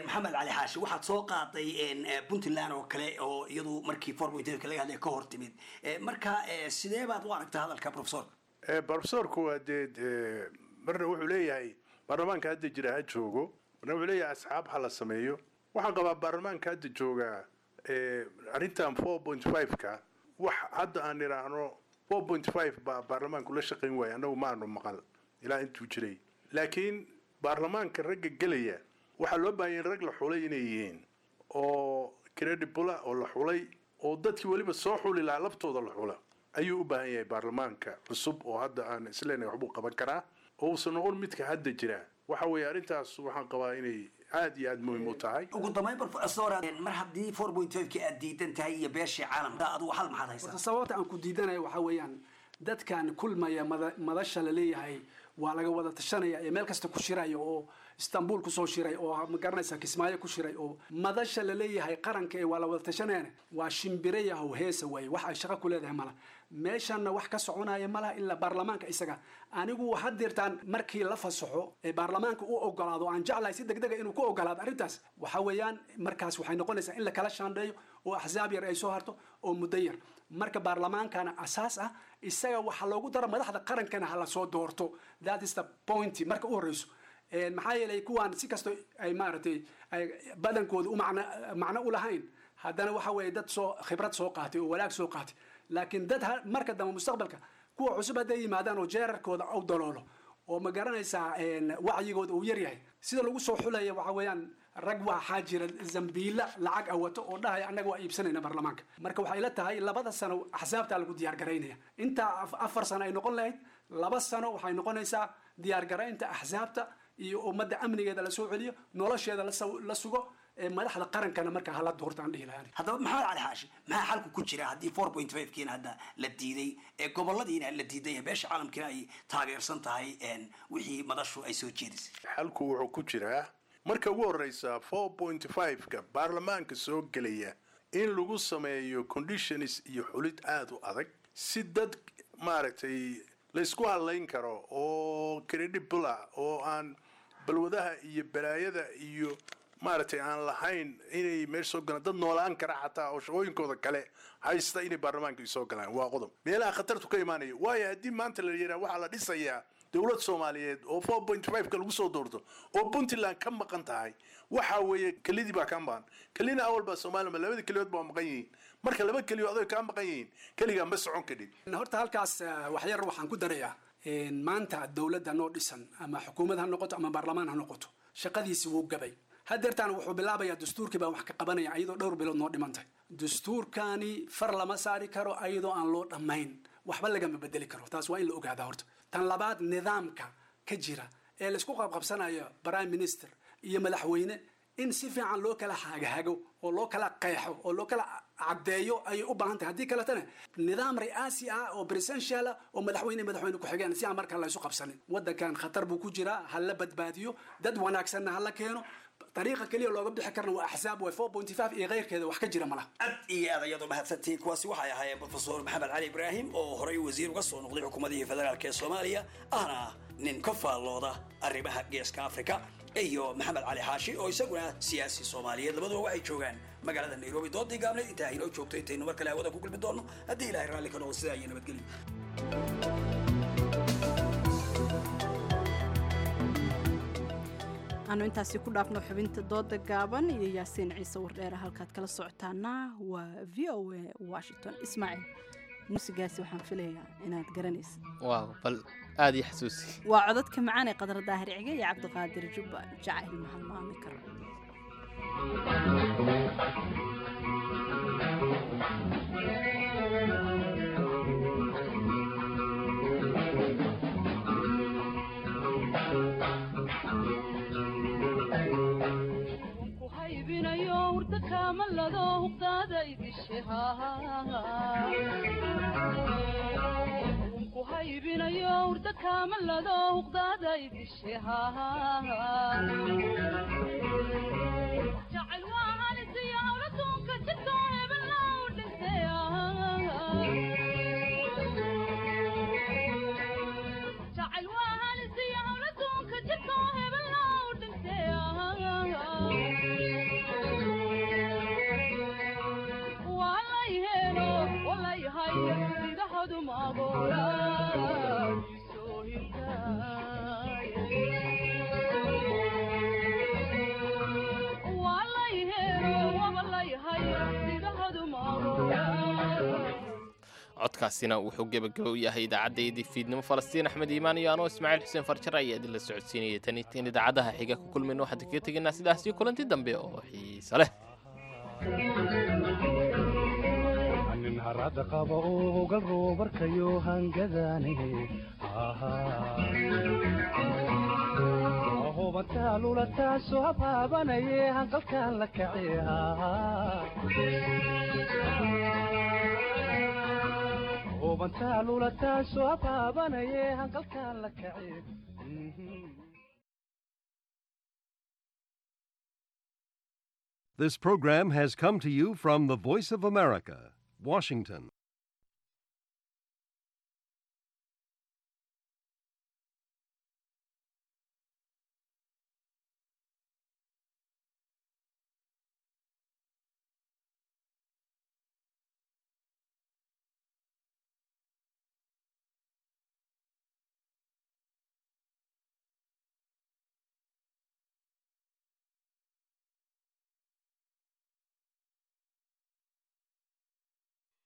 Maxamed Cali Xaashi, waxaad soo qaaday Puntland oo kale oo iyadu markii four point laga hadlay ka hor timid. Marka sidee baad u aragtaa hadalka professorka? Professorku waa dee marna wuxuu leeyahay baarlamaanka hadda jira ha joogo, marna wuxuu leeyahay asxaab ha la sameeyo. Waxaan qabaa baarlamaanka hadda jooga arrintan four point five-ka wax hadda aan idhaahno four point five baa baarlamaanku la shaqayn waaya, annagu ma aanu maqal ilaa intuu jiray. Laakiin baarlamaanka ragga gelaya waxaa loo baahanya in rag la xulay inay yihiin oo credible oo la xulay oo dadkii weliba soo xuli lahaa laftooda la xula ayuu u baahan yahay baarlamaanka cusub oo hadda aan isleenahay waxbuu qaban karaa, oo uusan noqon midka hadda jira. Waxa weeye arrintaas waxaan qabaa inay aad iyo aad muhiim u tahay. Ugu dambayn, professor, mar haddii four point five ki aad diidan tahay iyo beeshii caalamka, adigu xal maxaad haysaa? Horta sababta aan ku diidanayo waxaa weeyaan, dadkan kulmaya mada- madasha la leeyahay waa laga wada tashanaya ee meel kasta ku shiraya oo Istanbul kusoo shiray oo ma garanaysaa Kismaayo ku shiray oo madasha la leeyahay qaranka ee waa la wada tashanayana, waa shimbire yahow heesa waaye. Wax ay shaqo ku leedahay mala, meeshanna wax ka soconaya malaha ilaa baarlamaanka isaga. Anigu waxaad dirtaan markii la fasaxo ee baarlamaanka u ogolaado, aan jeclahay si degdega inuu ku ogolaado arrintaas, waxa weeyaan markaas waxay noqonaysaa in la kala shaandheeyo oo axsaab yar ay soo harto oo muddo yar. Marka baarlamaankana asaas ah isaga waxaa loogu daro, madaxda qarankana ha la soo doorto. That is the point marka u horeyso. Een, maxaa yeelay kuwaan si kasto ay maaragtay ay badankooda u macno macno u lahayn, haddana waxa weeye dad soo khibrad soo qaatay oo walaag soo qaatay. Laakiin dad ha- marka dambe mustaqbalka kuwa cusub hadday yimaadaan oo jeerarkooda u daloolo oo ma garanaysaa een, wacyigooda uu yaryahay sida lagu soo xulaya, waxa weeyaan rag waxaa jira zambiila lacag awato oo dhahaya annaga waa iibsanayna baarlamaanka. Marka waxay la tahay labada sano axsaabtaa lagu diyaar garaynaya. Intaa af- afar sano ay noqon lahayd, laba sano waxay noqonaysaa diyaar garaynta axsaabta iyo ummadda amnigeeda la soo celiyo, nolosheeda la saw- la sugo, ee madaxda qarankana marka hala doorto aan dhihi lahaa. Haddaba Maxamed Cali Xaashi, maxaa xalku ku jira haddii four point five kiina hadda la diiday ee goboladiina la diiday ee beesha caalamkiina ay taageersan tahay een, wixii madashu ay soo jeedisay? Xalku wuxuu ku jiraa marka ugu horeysa four point five-ka baarlamaanka soo gelaya in lagu sameeyo conditions iyo xulid aada u adag, si dad maaragtay laysku hadlayn karo oo credible ah oo aan balwadaha iyo balaayada iyo maaragtay aan lahayn inay meesha soo galaan, dad noolaan kara xataa oo shaqooyinkooda kale haysta inay baarlamaanka soo galaan, waa qodob meelaha khatartu ka imaanaya. Waayo haddii maanta la yidhaha waxaa la dhisayaa dowlad Soomaaliyeed oo four point five-ka lagu soo doorto oo Puntland ka maqan tahay, waxa weeye kelidii baa kaa maqan, kelina awal baa Soomaaliya labada keliyood baa maqan yihiin. Marka laba keliyood adoy kaa maqan yihiin, keligaa ma socon kadhid. Horta halkaas eh, wax yar waxaan ku darayaa. Een, maanta dowladda noo dhisan, ama xukuumad ha noqoto ama baarlamaan ha noqoto, shaqadiisi wuu gabay. Hadeertaan wuxuu bilaabayaa dastuurkii baan wax ka qabanaya iyadoo dhowr bilood noo dhimantay. Dastuurkani far lama saari karo iyadoo aan loo dhammayn, waxba lagama bedeli karo. Taas waa in la ogaadaa horta. Tan labaad, nidaamka ka jira ee laisku qabqabsanayo prime minister iyo madaxweyne in si fiican loo kala hagahago oo loo kala qeexo oo loo kala caddeeyo ayay u baahan tahay. Haddii kaletana nidaam ri'aasi ah oo presidential ah oo madaxweyne madaxweyne ku-xigeen, si aan markaa la isu qabsanin. Waddankan khatar buu ku jiraa, ha la badbaadiyo, dad wanaagsanna ha la keeno. Dariiqa keliya looga bixi karna waa axsaab way, four point five iyo keyrkeeda wax ka jira malaha. Aad iyo aad ayaad umahadsantihiin. Kuwaasi waxay ahaayeen Professor Maxamed Cali Ibraahim oo horey wasiir uga soo noqday xukuumadihii federaalk ee Soomaaliya, ahna nin ka faallooda arrimaha geeska Afrika, iyo Maxamed Cali Xaashi oo isaguna siyaasi Soomaaliyeed. Labaduba waxay joogaan magaalada Nairobi. Doodii gaabneyd intaa inoo joogto, intaynu mar kale hawada ku kulmi doono haddii Ilaahay raalli ka noqdo, sidaa iyo nabadgelyo. Aanu intaasi ku dhaafno xubinta dooda gaaban iyo Yaasiin Ciise Wardheere. Halkaad kala socotaana waa V O A Washington. Ismaaciil, muusigaasi waxaan filayaa inaad garanaysid. Waaw, bal aada ii xasuusi. Waa codadka macaan ee Qadar Daahir Cige iyo Cabdiqaadir Jubba, Jacayl Mahalmaami Karo. Codkaasina wuxuu gebagaba u yahay idaacaddayadii fiidnimo. Falastiin Axmed Iimaan iyo anoo Ismaaciil Xuseen Farjar ayaa idinla socodsiinaya. Tan intaan idaacadaha xiga ku kulmayno, waxaan kaga tegaynaa sidaas iyo kulanti dambe oo xiise leh. Nin harada qaba oo galroobarkayo hangadane. Hubantaa lulataa soo habaabanaye hanqalkaan la kaciha. Hubantaa lulataa soo habaabanaye hanqalkaan la kaci. This program has come to you from the Voice of America, Washington.